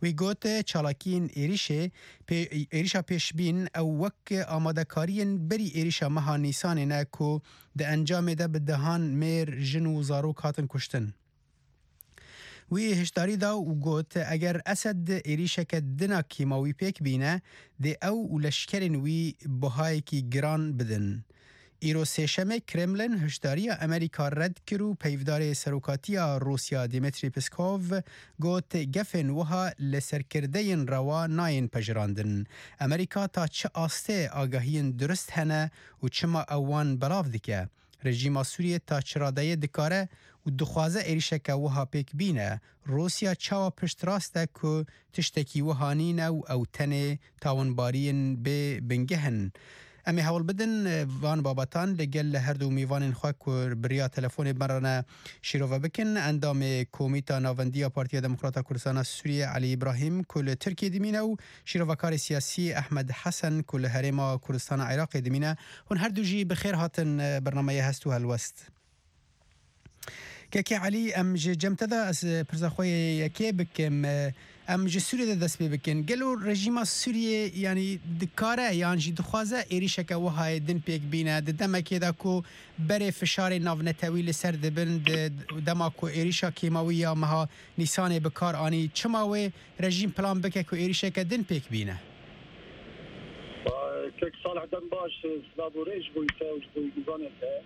Wî got, çalakiyên êrîşê pê-, êrîşa pêşbîn ew wek amadekariyên berî êrîşa meha Nîsanê ne ku di encamê de bi dehan mêr, jin û zarok hatin kuştin. Wî hişdarî da û got, eger Esed êrîşeke din a kîmawî pêk bîne, dê ew û leşkerên wî buhayekî giran bidin. Îro Sêşemê Kremlin hişdariya Amerîka red kir û peyvdarê serokatiya Rûsya Dmitry Peskov got, gefên wiha li serkirdeyên rewa nayên pejirandin. Amerîka ta çi astê agahiyên durist hene û çima ew wan belav dike? Rejîma Sûriyê ta çi radeyê dikare û dixwaze êrîşeke wiha pêk bîne? Rûsya çawa piştrast e ku tiştekî wiha nîne û ew tenê tawinbariyên bê bingeh in? Em ê hewl bidin, e, van babetan li gel li her du mêvanên xwe ku bi riya telefonê bi me re ne şîrove bikin. Endamê Komîta Navendî ya Partiya Demokrata Kurdistana Sûriyê Elî Îbrahîm ku li Tirkiyê dimîne û şîrovekarê siyasî Ehmed Hesen ku li Herêma Kurdistana Iraqê dimîne, hûn her du jî bi xêr hatin, e, bernameya Hest û Helwest. Kekê Elî, em ji cem te de ez, e, pirsa xwe yê yekê bikim. E, em ji Sûriyê de dest pê bikin. Gelo rejîma Sûriyê, yanî dikare yan jî dixwaze êrîşeke wihayê din pêk bîne, di demekê de ku berê fişarê navnetewî li ser dibin, di dema ku êrîşa kîmawî ya meha Nîsanê bi kar anî, çima wê rejîm plan bike ku êrîşeke din pêk bîne? Kek Salih, dem baş, silav û rêz ji bo te û ji bo mêvanên te.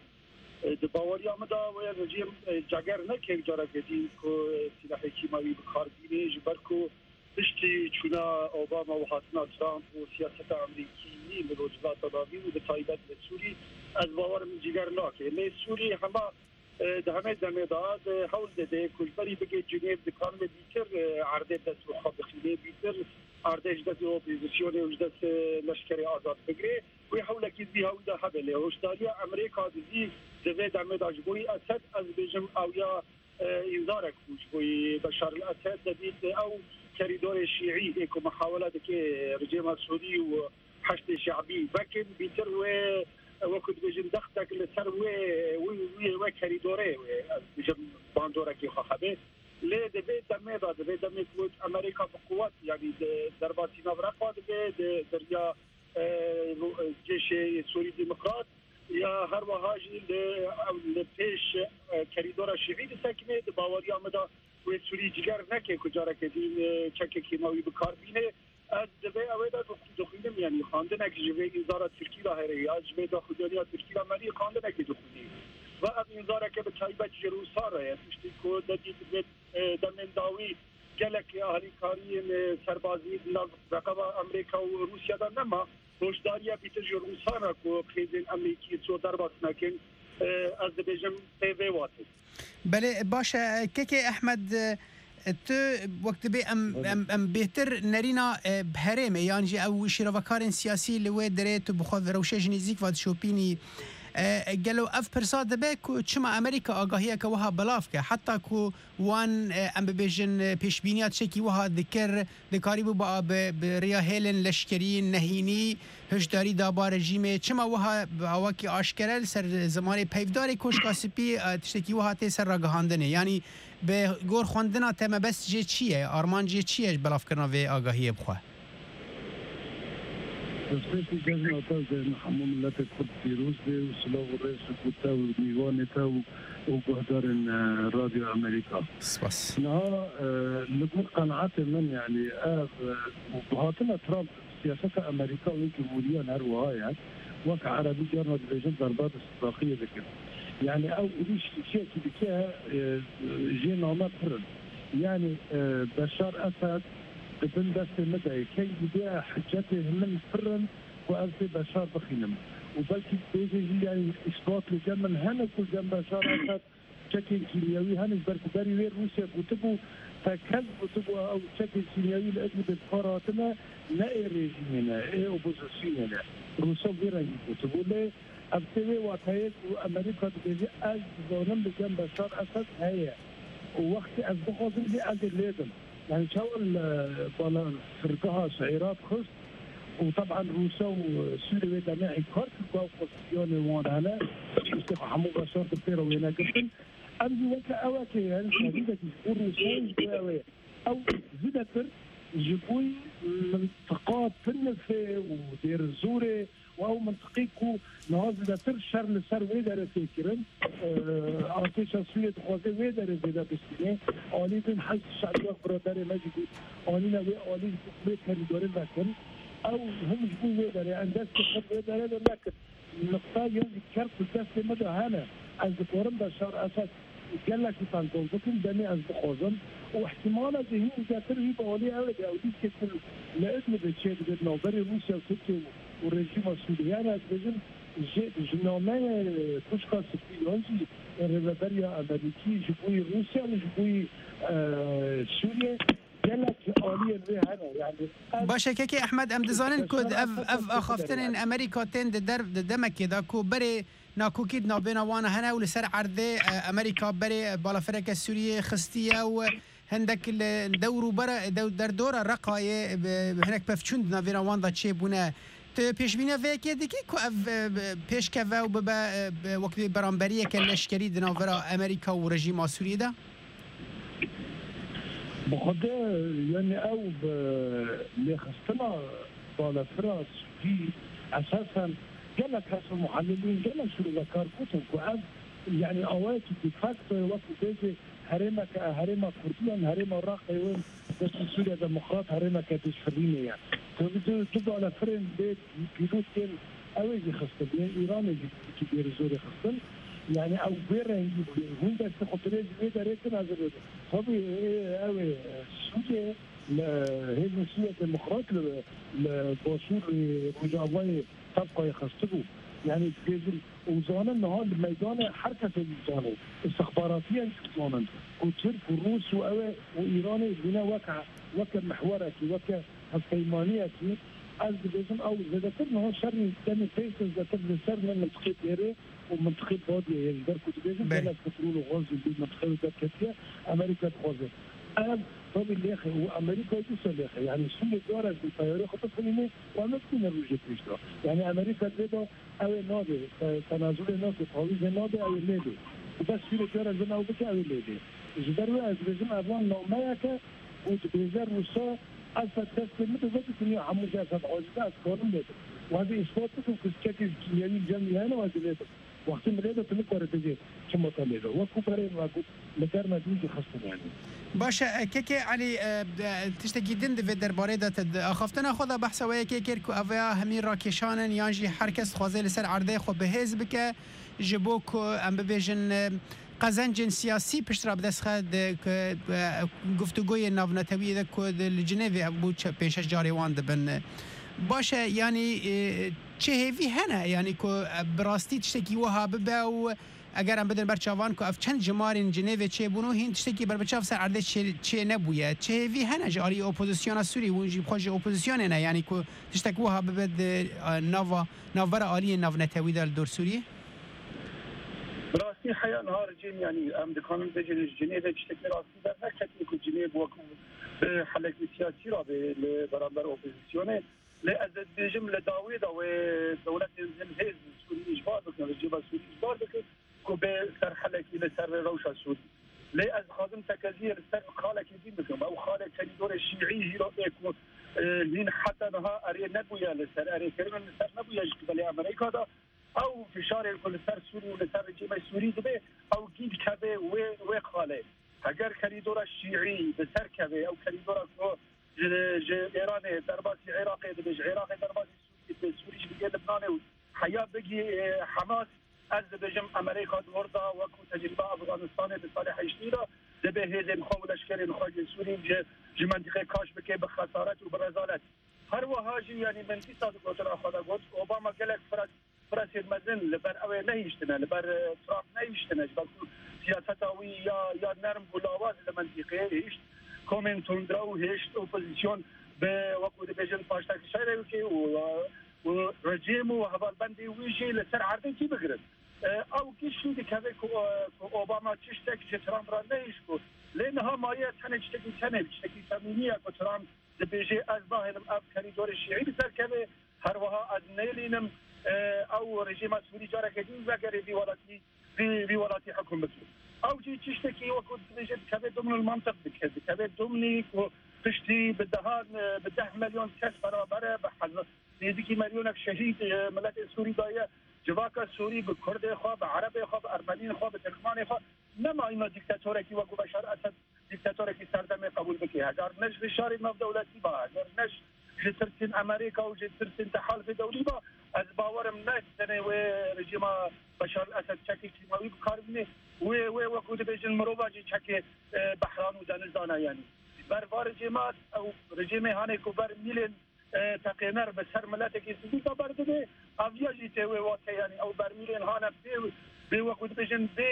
E, di baweriya min de wê rejîm, e, ceger neke careke din ku, e, silahê kîmawî bi kar bîne, ji ber ku piştî çûna Obama û hatina Trump û siyaseta Amerîkî li Rojhilata Navîn û bi taybet li Sûrî, ez bawer min cîger nake. Lê Sûrî hema e, di hemê demê de, e, hewl dide ku ji berî bigê Cinêv, dikan wê bîtir, e, erdê bi dest xwe bixîne, bîtir erdê ji destê opozîsyonê û ji destê leşkerê azad bigire. Wê hewlekî zî hewî de hebe, lê hoşdariya Amerîka dizî di vê demê de ji bo Esed, ez dibêjim, ew ya, e, înzarek bû ji bo Beşar el Esed, debît ew kerîdorê şîî ê ku mihawele dike rejîma Sûrî û Heşdê Şe'bî vekin, bîtir wê, wekî dibêjin, dextek li ser wê, wê, wê, wê kerîdorê wê, ez dibêjim, bandorekê xwe hebe. Lê di vê demê de, di vê demê ku Amerîka bi quwet, yanî di derbasî navrepa dibe, di, di riya, e, cêşê Sûrî Demokrat, ya her wiha jî li, li pêş, e, kerîdora şîî disekine, di baweriya min de wê Sûrî ciger neke ku careke din, e, çekekî navî bi kar bîne. Ez di vê ewê de dixwînim, yanî xandinek ji vê înzara Tirkî re here ya ji vê daxuyaniya Tirkî re merî xandinekê dixwînî. Ve ev înzareke bi taybet ji Rûsa re ye. Tiştê ku de dît vê, e, demên dawî gelek alîkariyên, e, serbazî di nav reqeba Amerîka û Rûsya de nema. Hoşdariya bîtir ji Rûsan re ku xêzên Amerîkî so derbas nekin, e, ez dibêjim pê vê watê. Belê, baş e, kekê Ehmed, e, tu wek dibê em, Belê. em, em bêhtir nerîna, e, bi herêmê yan jî ew şîrovekarên siyasî li wê derê tu bi xwe rewşê ji nêzîk ve dişopînî. E, gelo ev pirsa dibe ku çima Amerîka agahiyeke wiha belav ke, heta ku wan, e, em bibêjin, e, pêşbîniya tiştekî wiha dikir, dikarîbû ba bi, bi riya hêlên leşkerî nehînî hişdarî daba rejîmê. Çima wiha bi awakî aşkere li ser zimanê peyvdarê Koşka Spî, e, tiştekî wiha tê ser ragihandinê? Yanî bi gor xwendina te mebest jê çi ye? Armanc jê çi ye ji belavkirina vê agahiyê bi xwe? Destpêkî cejna te û cejna hemû miletê Kurd pîroz be û silav û rêz ji bo te û mîvanê te û, û guhdarên, e, Radyo Amerîka. Spas. Niha, e, li gor qenaetê min, yanî ev, e, û bi hatina Trump, siyaseta Amerîka û cumhûriyan her wiha ye. Wek erebî carna dibêjin, darbe bi sidraxiyê dikin. Yanî ew êrîş kişiyekî dike, e, jê name pir in. Yanî, e, Beşar Esed di bin destê min de ye. Kengî bê hicetê min pir in ku ez dê Beşar bixînim. Û belkî bêjê jî, yanî îsbat li cem min hene ku li cem Beşar Esed çekên kîmyewî hene, ji ber ku berî wê Rûsya gotibû, tekez gotibû, ew çekên kîmyewî li Idlibê bi kar hatine, ne ê rejîmê ne, ê opozisyonê ne. Rûsa vê rengî gotibû. Lê ev tê wê wateyê ku Amerîka dibêje, ez dizanim li cem Beşar Esed heye û wextê ez bixwazim jî ez ê lêdim. Yanî çawa li bala firgeha Şeîrat xist û teben Rûsya û Sûrî wê demê înkar kir ku ew pozîsyonê wan hene, tiştê ku hemû Beşar di pê re wêne girtin. Ev jî weke ewekê ye, şehîdekî ji bo Rûsya jî ew ê. Ew zêdetir ji bo mintiqa Tinifê û Dêrizorê û ew mintiqê ku niha zêdetir şer li ser wê derê tê kirin, e, artêşa Sûriyê dixwaze wê derê zêde bistîne. Alî din Heşd Şe'bî wek biraderê me jî got, anîne wê alî ji bo wê kerîdorê vekin. Ew him ji bo wê derê, em destê xwe wê derê de nekin. Niqta yan jî kert di destê me de hene. Ez dikarim Beşar Esed gelekî tenqol bikim, demê ez bixwazim. Û ihtimala jî hîn zêdetir jî bi alî ew de, ew dîskê ku li Idlibê çêdibe di navberê Rûsya û Tirkiye û rejîma Sûriyê. Yani ez dibêjim, ji, ji nameyê Koşka Spî yan jî rêveberiya Amerîkî ji bo Rûsya û ji bo, e, Sûriyê gelek aliyên wê hene. Yani ev Baş e, kekê Ehmed, em dizanin ku Beşar ev, Esed ev axaftinên Amerîka tên di der, di demekê de ku berê nakokî di navbêna wan hene û li ser erdê, e, Amerîka berê balafireke Sûriyê xistiye û hindek li dewr û bera, dew-, derdora Reqayê bi, bi hinek pevçûn di navbêna wan de çêbûne. Tu pêşbîniya vê yekê dikî ku ev, e, bi, pêşkeve û bibe, e, bi, wekî beramberiyeke leşkerî di navbera Amerîka û rejîma Sûriyê de? Bi xwe de, yani ew bi lêxistina balafira Sûrî esasen gelek kes û muhelilîn, gelek şirûvekar gotin ku ev, yani awayekî de facto ye, wekî bêjê herêmeke, herêma Kurdiyan, herêma Raqê wê destê Sûriya Demokrat herêmeke dişfirînê ye. Tabii du, du balafirên bê pîlot tên, ew ê jî xistin, yên Îranê jî wekî Dêrizorê xistin. Yani ew bê rengî bûye. Hûn destê xwe dirêj wê derê kin, ez ê bêjim. Tabii, ê, ew ê, Sûriyê, li hêzên Sûriya Demokrat li, li Başûrê Rojavayê tevqayê xistibû. Yani dibêjin û zanin niha li meydanê her kesê dizane, istixbaratiyan jî dizanin ku Tirk û Rûs û ew ê û Îranê dîne weke, weke mihwerekî, weke hevpeymaniyekî. Ez dibêjim ew zêdetir niha şerî demê pêş de zêdetir li ser ne mintiqê dêrê û mintiqê badiyê ye, ji ber ku dibêjin Belê. gelek petrol û gaz jî li mintiqê wê derketiye, Amerîka dixwaze. Ev tabî lêxe û Amerîka jî se lêxe. Yani Sûriyê cara jî teyarê xwe bifirîne û em nebitîne rojê pêş de. Yani Amerîka lê de ew ê nabê, te-, tenazulê nake, tawîzê nabê, ew ê lê bê. Û bes Sûriyê cara jin ew bike, ew ê lê bê. Ji ber wê ez dibêjim evan nameyeke û dibêje Rûsa Esed destê min dibe, dinya hemû jî Esed aciz e, ez karim lê bim. Û ez ê îspat bikim ku çekê kîmyewî li cem wî hene û ez ê lê bim. Wextê min lê de tu nikare bêjê çima te lê de. Wekû berê min ve got, li derme dîn jî xistin yani. Baş e, kekê Elî, e, e, tiştekî din di vê derbarê de te di axaftina xwe de behsa wê yekê kir ku ev ya hemî rakêşan in yan jî her kes dixwaze li ser erdê xwe bi hêz bike, ji bo ku em bibêjin, e, qezencên siyasî pişt re bi dest xe di, ku, e, guftûgoyên navnetewî de ku di, li Cinêvê ev bû çe-, pênc şeş carê wan dibin. Baş e, yanî, e, çi hêvî hene, yanî ku, e, bi rastî tiştekî wiha bibe û eger em bidin ber çavan ku ev çend jimarên Cinêvê çêbûn û hîn tiştekî berbiçav ser erdê çê, çê nebûye. Çi hêvî hene ji alî opozisyona Sûrî, hûn jî xwe ji opozisyonê ne, yanî ku tiştek wiha bibe di, e, nava, navbera aliyên navnetewî de li dor Sûrî? Bi rastî heya niha ricên, yanî em dikarin bêjin ji Cinêvê tiştekî rastî derneketiye ku Cinêv wekû bi helekî siyasî re bê li beramber opozisyonê. Lê ez ê dibêjim li dawê de wê dewletên zilhêz Sûrî îcbar bikin, rejîma Sûrî îcbar bikin ku bê ser helekî li ser rewşa Sûrî. Lê ez dixwazim tekeziyê li ser xalekî din bikim. Ew xalek kerîdorê şîî hîro ê ku, e, hîn heta niha erê nebûye li ser, erêkirin li ser nebûye ji qibelê Amerîka de. Ew fişarên ku li ser Sûrî û li ser rejîmê Sûrî dibe, ew gî dikeve wê, wê xalê. Heger kerîdora şîî bi ser keve, ew kerîdora ku ji, ji Êranê derbasî Iraqê dibe, ji Iraqê derbasî Sûrî dibe, Sûrî jî digê Libnanê û heya bigî, e, Hamas, ez dibêjim Amerîka di wir de wekû tecrîba Afganistanê di salê heştî de dibe hêzên xwe û leşkerên xwe ji Sûrî ji, ji mentîqê kaş bike bi xesaret û bi rezalet. Her wiha jî, yanî min dîsa di gotina xwe de got, Obama gelek fira-, firasên mezin li ber ew ê nehiştine, li ber, e, Trump nehiştine, ji ber ku siyaseta wî ya, ya nerm bû lawaz li mentîqeyê hişt komên tundrew, hişt opozisyon bi, wekû dibêjin, paştekişerê wekê û, û rejîm û hevalbendê wî jî li ser erdê cî bigirin. E, ew giştî dikeve ku, e, ku Obama tiştek ji Trump re nehişt ku lê niha maye tenê tiştekî tenê, tiştekî temînî ye ku Trump dibêje, ez nahêlim ev kerîdorê şîî bi ser keve, her wiha ez nêlînim, e, ew rejîma Sûrî careke din vegerê vî welatî, vî, vî welatî hukûm bike. Ew jî tiştekî wekû dibêje dikeve dimnil mantiq dike, dikeve dimnî ku piştî bi dehan, e, bi deh milyon kes beraber e, bi heza-, nêzîkî milyonek şehîd, e, miletê Sûrî daye, civaka Sûrî bi Kurdê xwe, bi Erebê xwe, bi Ermeniyên xwe, bi Tirkmanê xwe, nema îna dîktatorekî wekû Beşar Esed dîktatorekî serdemê qebûl bike. Heger ne ji fişarê navdewletî ba, heger ne ji tirsên Amerîka û ji tirsên tehalifê dewlî ba, ez bawerim ne tenê wê rejîma Beşar Esed çekê kîmawî bi kar bîne, wê, wê wekû dibêjin mirova jî çekê, e, behran û deniz dane yanî. Ji ber va rejîma ew rejîmê hanê ku ber mîlên e, teqêner bi ser miletekî sivîl de berdibê, ev ya jî tê wê wate, yanî ew bermîlên hane bê, bê wekû dibêjin, bê,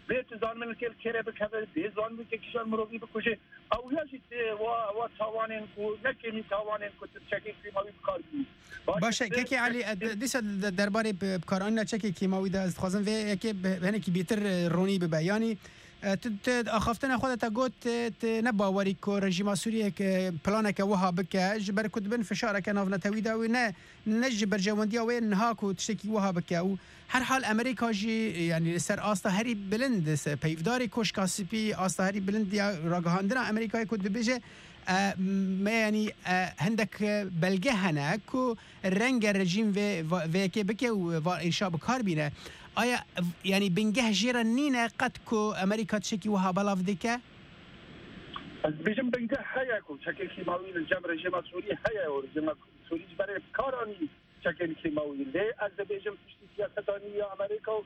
bê tu zanibin li kê li kêrê bikeve, bê zanibin kê kîjan mirovî bikuje, ew ya jî tê wa, wa tawanên ku ne kêmî tawanên ku tu çekê kîmawî bi kar bînî. Baş e, kekê Elî, e, dîsa de-, derbarê bi-, bikaranîna çekê kîmawî de ez dixwazim vê yekê bi-, hinekî bêtir, e, ronî bibe. Yanî, E, tu, tu di axaftina xwe de te got, e, tu ne bawerî ku rejîma Sûriyê ke planeke wiha bike, ji ber ku dibin fişareke navnetewî de wê ne, ne ji berjewendiya wê niha ku tiştekî wiha bike û herhal Amerîka jî, yanî li ser asta herî bilind, se-, peyvdarê Koşka Spî, asta herî bilind ya ragihandina Amerîkayê ku dibêje, e, me, yanî, e, hindek belge hene ku renge rejîm vê, va-, vê yekê bike û va êşa bi kar bîne. Aya, v-, yanî bingeh jê re nîne qet ku Amerîka tiştekî wiha belav dike? Ez dibêjim bingeh heye ku çekê kîmawî li cem rejîma Sûrî heye û rejîma Sûrî ji berê bi kar anî çekên kîmawî. Lê ez dibêjim piştî siyaseta nû ya Amerîka û,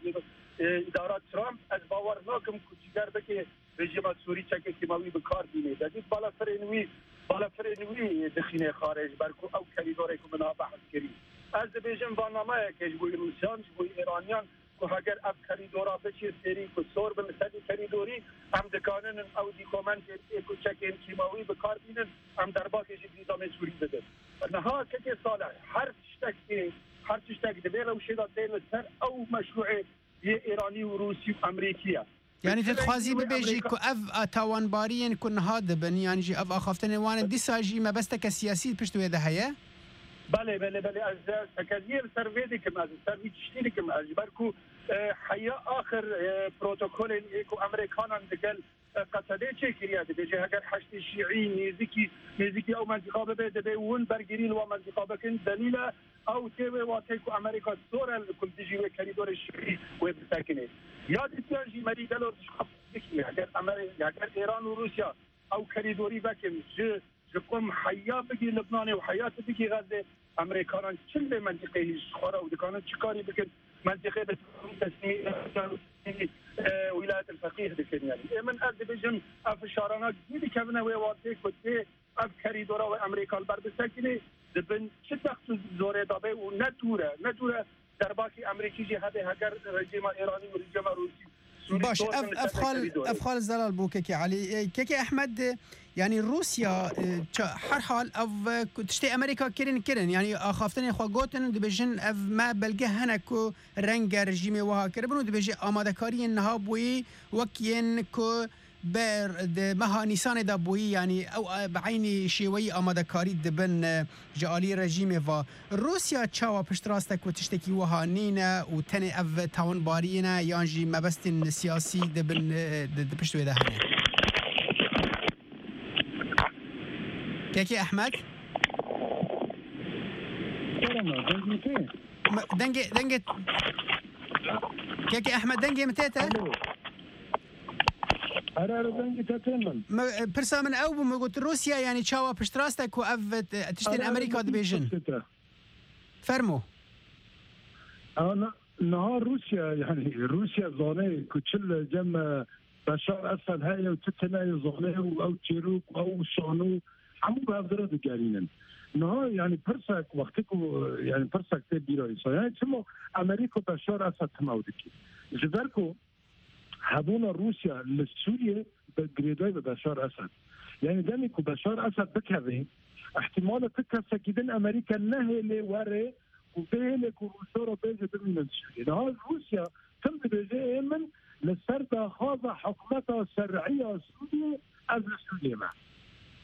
e, îdara Trump, ez bawer nakim ku cîger bike rejîma Sûrî çekê kîmawî bi kar bîne. Te dît balafirên wî, balafirên wî dixîne xarê ji ber ku ew kerîdorê ku min a behs kirî. Ez dibêjim, barnameyeke ji bo Rûsyan, ji bo Îraniyan, ku heger ev kerîdora biçê serî, ku sor bin li serî kerîdorî, em dikaninin ew dîkomentên ê ku çekên kîmawî bi kar bînin, em derbakê ji nîzamê Sûrî bidin. Niha kekê Salih, her tiştekê, her tiştek di vê rewşê de tê li ser ew meşrûê yê Îranî û Rûsî û Emerîkî ye. Yanî tu dixwazî bibêjî ku ev tawanbariyên ku niha dibin, yan jî ev axaftinên wan in, dîsa jî mebesteke siyasî pişt wê de heye? Belê, belê, belê. Ez, e, tekeziyê li ser vê dikim, ez li ser vî tiştî dikim. Ez ji ber ku, e, heya axir, e, protokolên ê ku Emerîkanan digel, e, Qesedê çêkiriye, dibêje heger heştê şîî nêzîkî, nêzîkî ew mentîqa bibe, divê hûn bergirî li wan mentîqa bikin. Delîl e, ew tê wê wateyê ku Amerîka sor e li ku li dijî wê kerîdorê şîî wê bisekinê. Ya dîtiyan jî merî gelo dişxwe bikî, heger Amerî-, heger Îran û Rûsya ew kerîdorî vekin, ji, ji qum heya bigî Libnanê û heya tu bigî Xezê, Amerîkanan çi li vê mentîqeyê ji xwe re û dikanin çi karî bikin, mentîqê bi teslîmî, e, Wîlayetên Feqîh dikin. Yani, ê min, ez dibêjim, ev fişarana gî dikevine wê watê ku tê ev kerîdora wê Amerîka li ber bisekinê, di bin çi text û zorê de be û ne dûr e, ne dûr e derbakî Amerîkî jî hebe heger rejîma Îranî û rejîma Rûsî Sûrî Baş, dor ev, bin li ev ser vê xal, kerîdorê. Ev xal zelal bû kekê Elî. E, kekê Ehmed, e, yanî Rûsya, e, ça-, her hal ev, e, ku tiştê Amerîka kirin, kirin. Yanî axaftinên xwe gotin û dibêjin ev me belge hene ku renge rejîmê wiha kiribin û dibêje amadekariyên niha bûyî wek yên ku ber di meha Nîsanê de bûyî, yanî ew, e, bi eynî şêweyî amadekarî dibin, e, ji alî rejîmê ve. Rûsya çawa piştrast e ku tiştekî wiha nîne û tenê ev tawanbariyê ne yan jî mebestên siyasî di bin, e, di, di pişt wê de hene? Kekê Ehmed? Kerem e, dengê te? Me-, dengê, dengê, Kekê Ehmed, dengê min tê te? Alo. Here, here, dengê te tê min. Me, e, pirsa min ew bû, me got Rûsya, yanî çawa piştrast e ku ev, e, tiştên Here, here, Amerîka dengê dibêjin? Te tê. Fermo. Ana, niha Rûsya, yanî Rûsya zane ku çi li cem, e, Beşar Esed heye û çi tune ye zane û ew çêrok û ew şano hemû bi hev re digerînin. Niha, yanî pirsek, wextê ku, yanî pirsek tê bîra însan. Yanî çima Amerîka Beşar Esed tim ew dikî? Ji ber ku hebûna Rûsya li Sûriyê bi girêdayî bi Beşar Esed. Yanî demê ku Beşar Esed bikeve, îhtîmala ti kesekî din Amerîka nehêlê were û bihêlê ku Rûsya re bêje bimînin Sûriyê. Niha Rûsya tim dibêje ê min li ser daxwaza hikûmeta şer'î ya Sûriyê ez li Sûriyê me.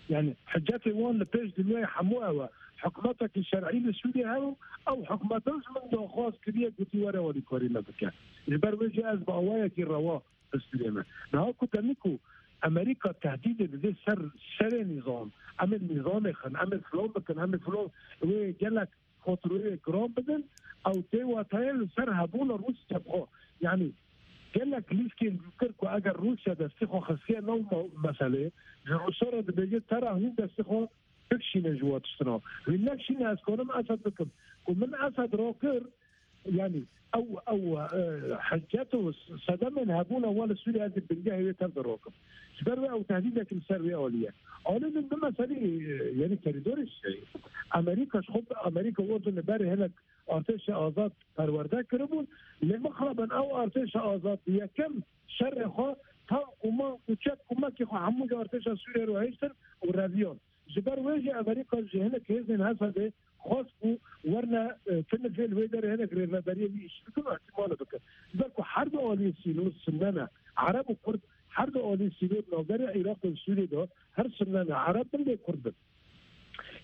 Yanî hicetê wan li pêş dinyayê hemû ew e. Hikûmetekî şer'î li Sûriyê heye û ew hikûmeta ji min daxwaz kiriye, gotî were alîkarî me bike. Ji ber wê jî ez bi awayekî rewa bi Sûriyê me. Niha ku demî ku Amerîka tehdîdê dide ser serê nîzam, em ê nîzamê xin, em ê filan bikin, em ê filan, wê gelek fatureyê giran bidin, ew tê wateyê li ser hebûna Rûsya bi xwe. Yanî gelek lîskên dûtir ku eger Rûsya destê xwe xistiye nav me-, meselê, ji Rûsya re dibêje tera hûn destê xwe bikişîne ji wa tiştina. Hûn nekişîne ez karim Esed bikim. Ku min Esed rakir, yanî ew, ew, e, hicet û sedemên hebûna wan li Sûriyê ez ê bingehê wê tev de rakim. Ji ber wê ew tehdîdek li ser wê alî ye. Alî min bi meselî, e, yanî kerîdorê şey. Amerîka ji xwe, Amerîka û Urdun li berê hinek artêşa azad perwerde kiribûn. Lê mixabin ew artêşa azad bi yekem şerê xwe tank û mank û çek û mekê xwe hemû ji artêşa Sûriyê re hiştin û reviyan. Ji ber wê jî Amerîka ji hinek hêzên Esedê xwest ku werne, e, tu nifê li wê derê hinek rêveberiyê wî îş bikin û îhtimale bikin. Ji ber ku her du aliyê sînor Sunne ne, Ereb û Kurd, her du aliyê sînor navberê Iraq û Sûriyê de her Sunne ne, Ereb bin lê Kurd bin.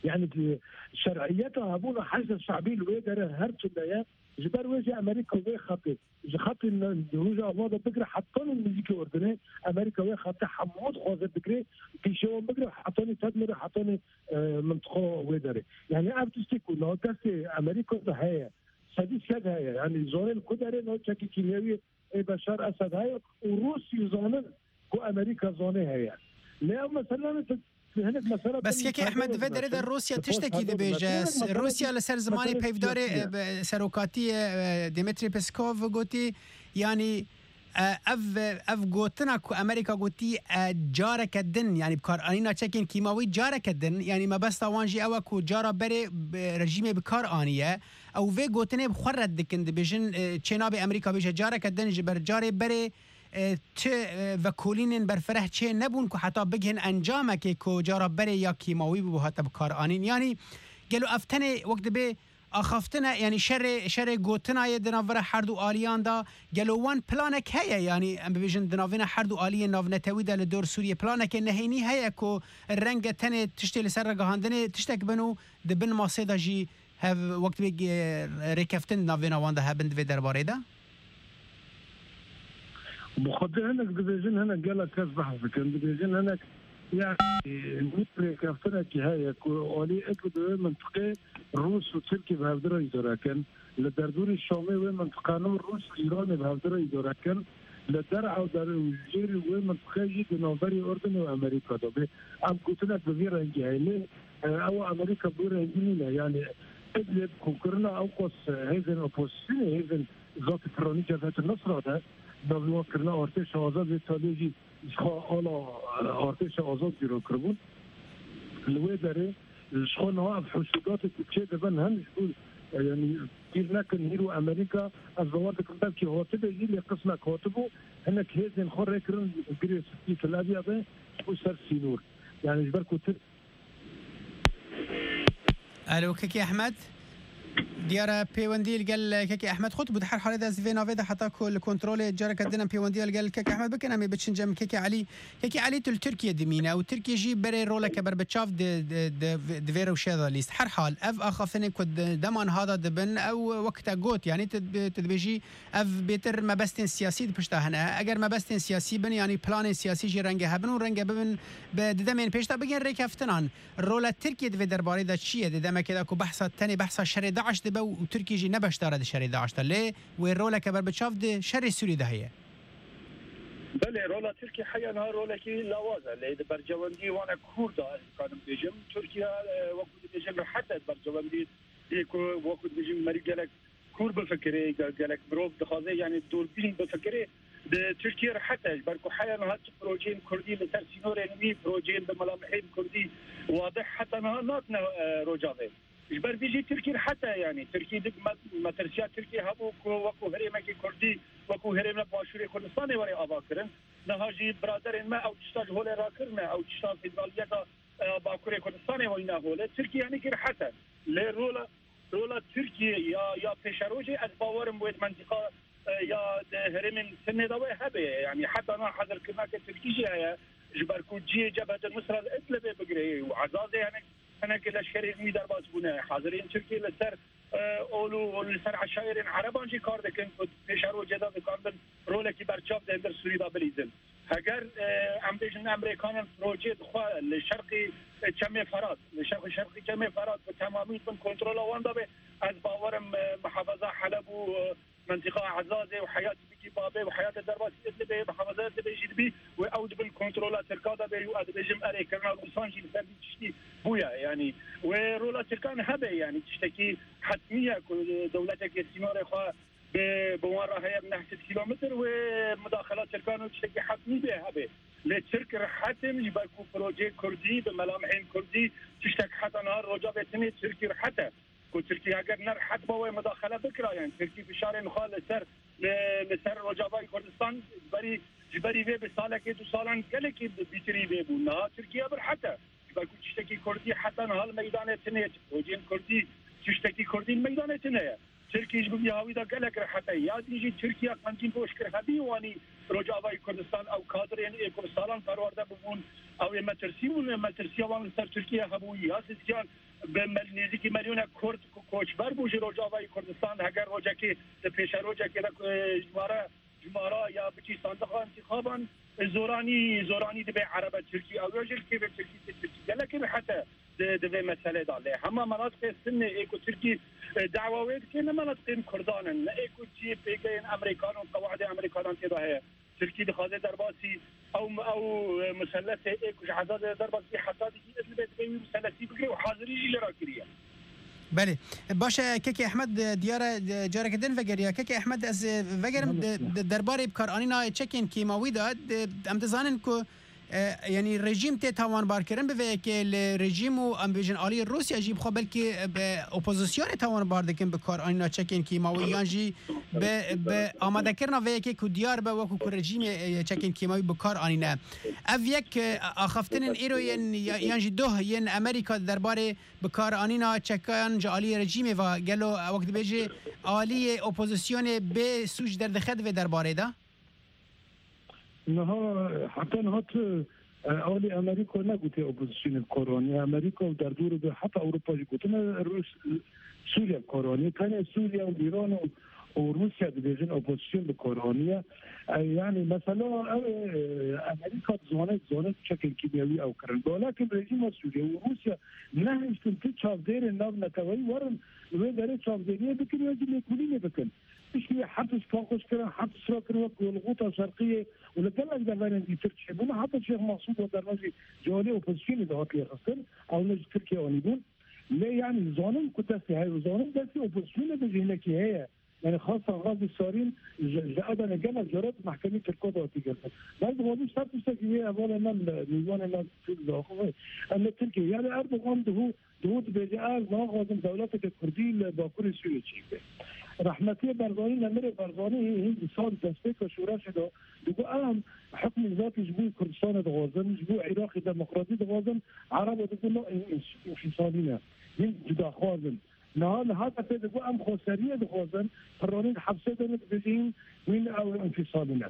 Yani, di şer'iyeta hebûna Heşda Şe'bî li wê derê her tune ye. Ji ber wê jî Amerîka wê xetê, ji xetê ne-, Rojava de bigire hetanî nêzîkî Urdunê, Amerîka wê xetê hemû dixwaze bigire, pîşê wan bigire hetanî Tedmirê, hetanî, e, mintiqa wê derê. Yani, ev tiştê ku nav destê Amerîka de heye, sedî sed heye. Yani, zonên ku derê nav çekî kîmyewî ê Beşar Esed heye û Rûsî zanin ku Amerîka zanê heye. Lê ew mesele ne tu hinek mesele Bes kekê Ehmed, di vê derê de Rûsya tiştekî dibêje. Rûsya li ser zimanê peyvdarê, e, serokatiyê, e, Dmitry Peskov gotî, yanî, e, ev, ev gotina ku Amerîka gotî, e, careke din, yanî bikaranîna çekên kîmawî careke din, yanî mebesta wan jî ew e ku cara berê, e, rejîmê bi kar aniye. Ew vê gotinê bi xwe red dikin, dibêjin, e, çê nabe Amerîka bêje careke din ji ber carê berê, e, ti, e, vekolînên berfireh çê nebûn ku heta bigihên encamekê ku cara berê ya kîmawî bû hate bi kar anîn. Yanî gelo ev tenê wek dibê axaftin e, yanî şerê, şerê gotina ye di navbera her du aliyan de, gelo wan planek heye, yanî em bibêjin di navêna her du aliyên navnetewî de li dor Sûriyê planekê nehênî heye ku renge tenê tiştê li ser ragihandinê tiştek bin û di bin masê de jî hev wek dibê, e, rêkeftin di navêna wan de hebin di vê derbarê de? Bi xwedê hinek dibêjin, hinek gelek kes behs dikin, dibêjin hinek, yanî, rêkeftinekî heye ku alî êk bi wê mintiqê Rûs û Tirkî bi hevdira îdare kin. Li derdorê Şamê wê mintiqanû Rûs û Îranê bi hevdira îdare kin. Li der ew der û jêrî wê mintiqê jî di navberî Urdunê û Amerîka de bê. Ev gotinek bi vî rengî heye. Lê, e, ew Amerîka bi vî rengî nîne. Yanî Idlib ku kirina ew qas, e, hêzên opozîsyonê, hêzên Zatî Piranî Cebhete Nusra de, navî wan kirina artêşa azad vê taliyê jî ji xwe ala, e, artêşa azad cîro kiribûn. Li wê derê ji xwe niha ev huşûdatê ku çê dibin hem ji bo, e, yanî bîr nekin hîro Amerîka, ez bawer dikim belkî hatibê jî lê qismek hatibû, hinek hêzên xwe rêkirin girê spî Tel Aviv de ji bo ser sînor. Yanî ji ber ku Tir- Alo, Kekî Ehmed. Diyar e pêwendî li gel Kekî Ehmed xurt bû. Di her halê de ez vê navê de heta ku li kontrolê careke din em pêwendiya li gel Kekî Ehmed bikin, em ê biçin cem Kekî Elî. Kekî Elî tu li Tirkiye dimîne û Tirkiye jî berê roleke berbiçav di, di, di, di vê rewşê de lîst. Her hal ev axaftinên ku di dema niha de dibin, ew wek te got, yanî tu, tu dibêjî ev bêtir mebestên siyasî di pişta hene. Eger mebestên siyasî bin, yanî planên siyasî jî renge hebin û renge bibin bi di demên pêş de bigên rêkeftinan. Rola Tirkiye di vê derbarê de çi ye? Di demekê de ku behsa, tenê behsa şerê DAIŞ dibe û Tirkiye jî ne beşdar e di şerê DAIŞ de. Lê wê roleke berbiçav di şerê Sûrî de heye. Belê, rola Tirkiye heya niha rolekî lawaz e. Lê di bercewendî wana Kûr de, ez dikarim bêjim, Tirkiye, e, wekû dibêjin rehet e di bercewendî, ê ku wekû dibêjin merî gelek kûr bifikirê, ge-, gelek mirov dixwaze, yanî dûrbîn bifikirê. Di Tirkiye rehet e, ji ber ku heya niha çi projeyên Kurdî li ser sînorên wî, projeyên bi melamihên Kurdî wadih heta niha natine, e, Rojavê. Ji ber vî jî Tirkî rehet e, yanî Tirkî di me-, metirsiya Tirkî hebû ku wekû herêmekî Kurdî, wekû herêmê Başûrê Kurdistanê were avakirin. Niha jî biraderên me ew tişta ji holê rakirine, ew tişta federaliyeta, e, Bakurê Kurdistanê weyne holê. Tirkî yanî kî rehet e. Lê rola, rola Tirkiyê ya, ya pêşerojê ez bawerim wê di mentiqa, e, ya di herêmên tinê de wê hebe. Yanî heta niha hazirkirineke Tirkî jî heye. Ji ber ku cihê Cebhete Nusra li Idlibê bigire û Ezazê hinek, hinek leşkerên wî derbas bûne. Haziriyên Tirkiyê li ser, e, ol û li ser eşayerên Ereban jî kar dikin ku pêşerojê de dikarin rolekî berçav di hundir Sûrî de bilîzin. Heger, e, em bêjin Emerîkanan projeyê di xwe li şerqî, e, Çemê Ferat, li şerqî, şerqî Çemê Ferat bi temamî bin kontrola wan de be, ez bawerim, e, muhafaza Heleb û, e, mentiqa Ezazê û heyatî bikî Babê û heyatê derbasî Idlibê, muhafaza Idlibê jî dibî û ew di bin kontrola Tirka de be û ez dibêjim erê kirina Rûsan jî li ser vî tiştî bûye. Yanî wê rola Tirkan hebe, yanî tiştekî hetmî ye ku dewletekê sînorê xwe bi, bi wan re heye bi neh sed kilometr wê mudaxela Tirkan û tiştekî hetmî bê hebe. Lê Tirk rehet in ji ber ku projeyê Kurdî bi melamihên Kurdî tiştek heta niha Rojavê tinê Tirkî rehet e. Ku Tirkî heger ne rehet ba wê mudaxele bikira, yanî Tirkî fişarên xwe li ser, li, li ser Rojavayê Kurdistan ji berî, ji berî vê bi salekê du salan gelekî bi-, bîtirî vê bû. Niha Tirkiye bi rehet e. Ji ber ku tiştekî Kurdî heta niha li meydanê tune ye, projeyên Kurdî, tiştekî Kurdî li meydanê tune ye. Tirkî ji bo vî hawî de gelek rehet e. Ya dî jî Tirkiye qencî boş kir hebî wanî Rojavayê Kurdistan ew kadirên ê ku bi salan perwerde bibûn, ew ê metirsî bûn, ê metirsiya wan li ser Tirkiye hebû. Ya Sisyan bi mel-, nêzîkî melyonek Kurd ku koçber bû ji Rojavayê Kurdistan, heger rojekê di pêşerojekê de, e, ji mare, ji mara ya biçî sandiqa întîxaban, e, zoranî, zoranî dibe erebe Tirkî. Ew ya jî li kêvê Tirkî tê, Tirkî gelekî rehet e di, di vê meselê de. Lê hema menatiqê Sinnê ê ku Tirkî, e, dawa wê dike, ne menatiqên Kurdan in, ne ê ku cihê pêgehên Emerîkan û qewaidê Emerîkanan tê de heye. Tirkî dixwaze derbasî ew, ew, e, muselesê ê ku ji Ezazê derbas bî heta dî Idlibê dibê wî muselesî bigire û hazirî jî lê ra kiriye. Belê. Baş e, Kekê Ehmed, e, diyar e, e, careke din vegeriya. Kekê Ehmed, ez, e, vegerim, Belê. de, de, derbarê bikaranîna çekên kîmawî de, de, em dizanin ku e, yanî rejîm tê tawanbar kirin, bi vê yekê li rejîm û em bêjin alî Rûsya jî bi xwe belkî, e, bi opozisyonê tawanbar dikin bi kar anîna çekên kîmawî, yan jî bi, bi amadekirina vê yekê ku diyar be wekû ku rejîmê, e, çekên kîmawî bi kar anîne. Ev yek, e, axaftinên îro yên ya-, yan jî doh yên Amerîka derbarê bi kar anîna çekan ji aliyê rejîmê ve, gelo wek dibêje aliyê opozisyonê bê sûc derdixe di vê derbarê de? Niha heta niha tu, e, alî Amerîka negotiye opozisyonê bi kar anî. Amerîka û derdorê de heta Ewropa jî gotine Rûs-, Sûriye bi kar anî. Tenê Sûriye û Îran û, û Rûsya dibêjin opozisyon bi kar aniye. E, yanî mesela ew ê, e, Amerîka dizane, dizane çekên kîmyewî ew kirin. Dewletên rejîma Sûriye û Rûsya nehiştin tu çavdêrên navneteweyî werin li wê derê çavdêriyê bikin ya jî lêkolînê bikin. Piştî wê hepis paqij kirin, hepis rakir wek Golgota Şerqiyê û li gelek deverên dîtir çêbûne, heta Şêx Mexsûd Weterme jî ji alî opozisyonê de hat lêxistin, ew ne ji Tirkiye anîbûn. Lê yanî zanin ku destê heye û zanin destê opozisyonê de jî hinekî heye. Yanî xastan Xazî Sarîn ji, ji Edenê gelek caran di mehkemê Tirka de hatî girtin. Ben dixwazim ser tiştekî wê hevalê me, mêvanê me Tirk de axivê. Em li Tirkiye, yanî Erdogan dihu, dihu dibêje, ez naxwazim dewleteke Kurdî li Bakurê Sûriyê çêbibe. Rehmetiyê Barzanî, nemirê Barzanî hîn di sal destpêka şoreşê de digot, em hukmî zatî ji bo Kurdistanê dixwazin, ji bo Iraqê demokratî dixwazin, Ereba digot, no, în-, în-, înfîsalî ne. Hîn cudaxwaz in. Niha li Hedefê digot, em xweseriyê dixwazin, piranî di hepsê de ne dibêjin, wîn ew înfîsalî ne.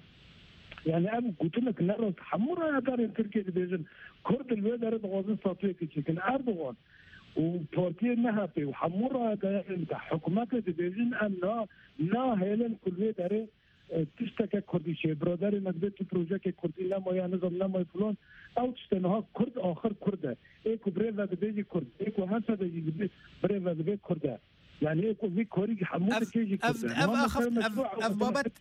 Yani ev gotinek ne rast. Hemû rayedarên Tirkiyê dibêjin, Kurd li wê derê dixwazin statuyekê çêkin. Erdogan û partiyê M H P û hemû rayedarên te hikûmetê dibêjin, em na, nahêlin ku li wê derê e, tişteke Kurdî çê. Biraderê me dibê tu projeke Kurdî nemaye, nizam nemaye filan. Ew tiştê niha Kurd axir Kurd e. Ê ku birê ve dibê jî Kurd. Ê ku hese de jî dibê, birê ve dibê Kurd e. Yani ê ku vî korî hemû Ev, dikê jî ev, Kurd e. ev Niha axaft, mesela ev, meşru ev ew babet,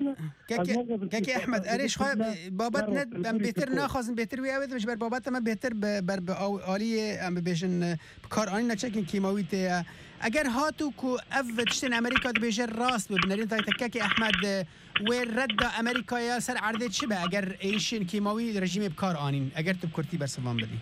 keke, ez naxwazim keke Ehmed, erê ji xwe, babet ne, em bêtir naxwazin, bêtir wê ew ê ji ber babet me bêtir bi, ber bi aw-, aliyê, em bibêjin, e, bi kar anîna çekên kîmawî tê ye. Eger hatu ku ev tiştên Amerîka dibêje rast be, bi nerîn tayê te kekê Ehmed, e, wê redda Amerîkaya ser erdê çi be eger êrişên kîmawî rejîmê bi kar anîn? Eger tu bi kurtî bersiv van bidî.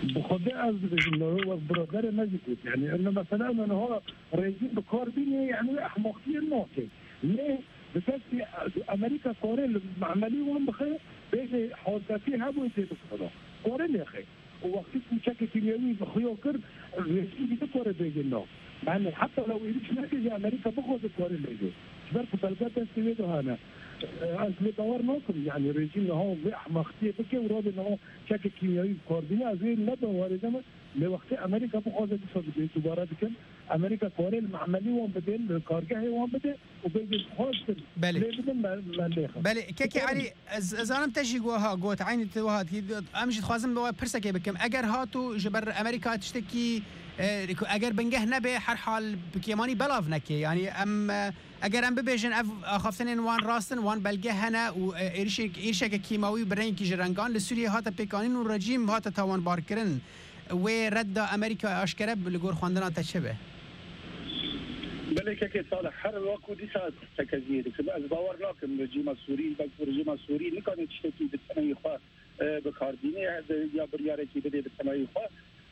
Bi Xwedê ez dibêjim, me wek biraderê me jî got. Yani, ene mesela me niha rejîm bi kar bîne, yani, wê ehmaqiyê nake. Lê bi destê Amerîka karê li emelî wan bixe, bêje hazretî hebû tê bikare. Kare lêxe. Û wextî ku çekê kîmyewî bi xuya kir, rejîm jî nikare bêje na. Yani heta lew êrîş neke jî Amerîka bixwaze kare lê bê. Ji ber ku belge destê wê de hene. Ez lê bawer nakim, yani rejîm niha vê ehmaqtiyê bike û radê niha çekê kîmyewî bi kar bîne, ez wê ne bawerê de me. Lê wextê Amerîka bixwaze dîsa dibê, dubare dikim. Amerîka kare li me'melî wan bidê, li kargehê wan bidê û bêje dixwazin Belê. lê bidin me, me lê xist. Belê, kekê Erî, ez, ez zanim te jî wiha got, eynî tu wiha dikî, em jî dixwazim bi we pirsekê bikim. Eger hatu ji ber Amerîka tiştekî, e, ku eger bingeh nebe, her hal bi kêmanî belav neke. Yani em, e, eger em bibêjin ev axaftinên wan rast in, wan belge hene û, e, êrişek-, êrişeke kîmawî bi rengekî ji rengan li Sûriyê hate pêkanîn û rejîm hate tawanbarkirin. Wê redda Amerîka aşkere bi li gor xwendina te çi be? Belê kekê Salih, her wek û dîsa têkeziyê dikim. Ez bawer nakim rejîma Sûrî, belkî rejîma Sûrî nikane tiştekî bi tenayî xwe, e, bi kar bîne, ya biryarekî bide bi tenayî xwe.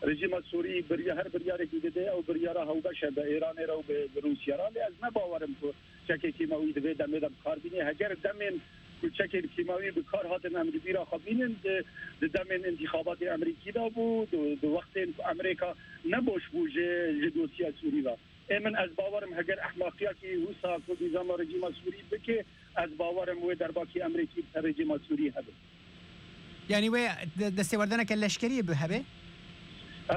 Rejîma Sûrî birya-, her biryarekî dide, ew biryara hewbeş e bi Îranê re û bi, bi Rûsya re. Lê ez ne bawer im ku çekê kîmawî di vê demê de bi kar bîne. Heger demên ku çekên kîmawî bi kar hatin em li bîra xwe bînin, di, di demên întîxabatê Amerîkî de bû, di, di wextên ku Amerîka neboş bû ji, ji dosya Sûrî ve. Ê min ez bawer im heger ehmaqiyakî wisa ku nîzama rejîma Sûrî bike, ez bawer im wê derbakî Amerîkî bi ser rejîma Sûrî hebe. Yanî wê de-, destêwerdaneke leşkerî bi hebe?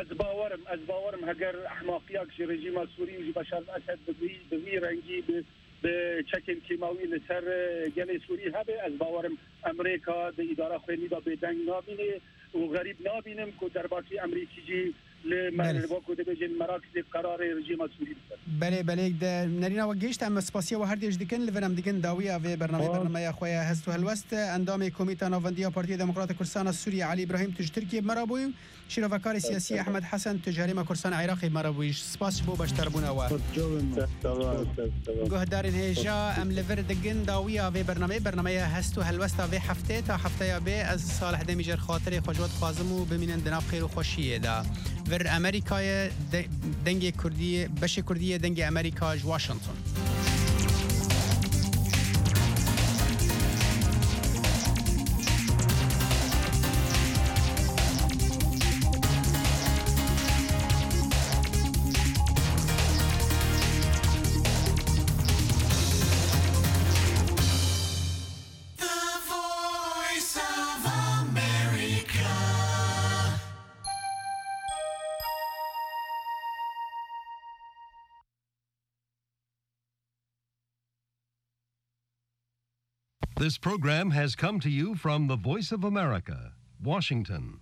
Ez bawer im, ez bawer im heger ehmaqiyak ji rejîma Sûrî û ji Beşar Esed bi vî, bi vî rengî, bi, bi çekên kîmawî li ser, e, gelê Sûrî hebe, ez bawer im Amerîka di îdara xwênî de bêdeng namîne û xerîb namînim ku derbakî Amerîkî jî li Belê. Wek ku dibêjin merakizê qerarê rejîma Sûrî bike. Belê, belê, de nerîna we gihîşt, em spasiya we her têj dikin, li vir em digin dawiya vê bernameyê, Tamam. Bernameya xwe ya Hest û Helwest, endamê Komîta Navendiya Partiya Demokrata Kurdistana Sûriyê Elî Îbrahîm, tu ji Tirkiyê bi me re bûyî, şîrovekarê siyasî Ehmed Hesen, tu ji Herêma Kurdistana Iraqê bi me re bûyî. Spas ji bo beşdarbûna we. Sağ ol, sağ ol, sağ ol. Guhdarên hêja, em li vir digin dawiya vê bernameyê, bernameya Hest û Helwesta vê heftê, ta hefteya bê, ez Salih Demîjer xatirê xwe ji we dixwazim û bimînin di nav xêr û xweşiyê de. Vir Amerîkayê, de-, dengê Kurdiyê, beşê Kurdiyê, dengê Amerîka ji Washington. The Voice of America. This program has come to you from the Voice of America, Washington.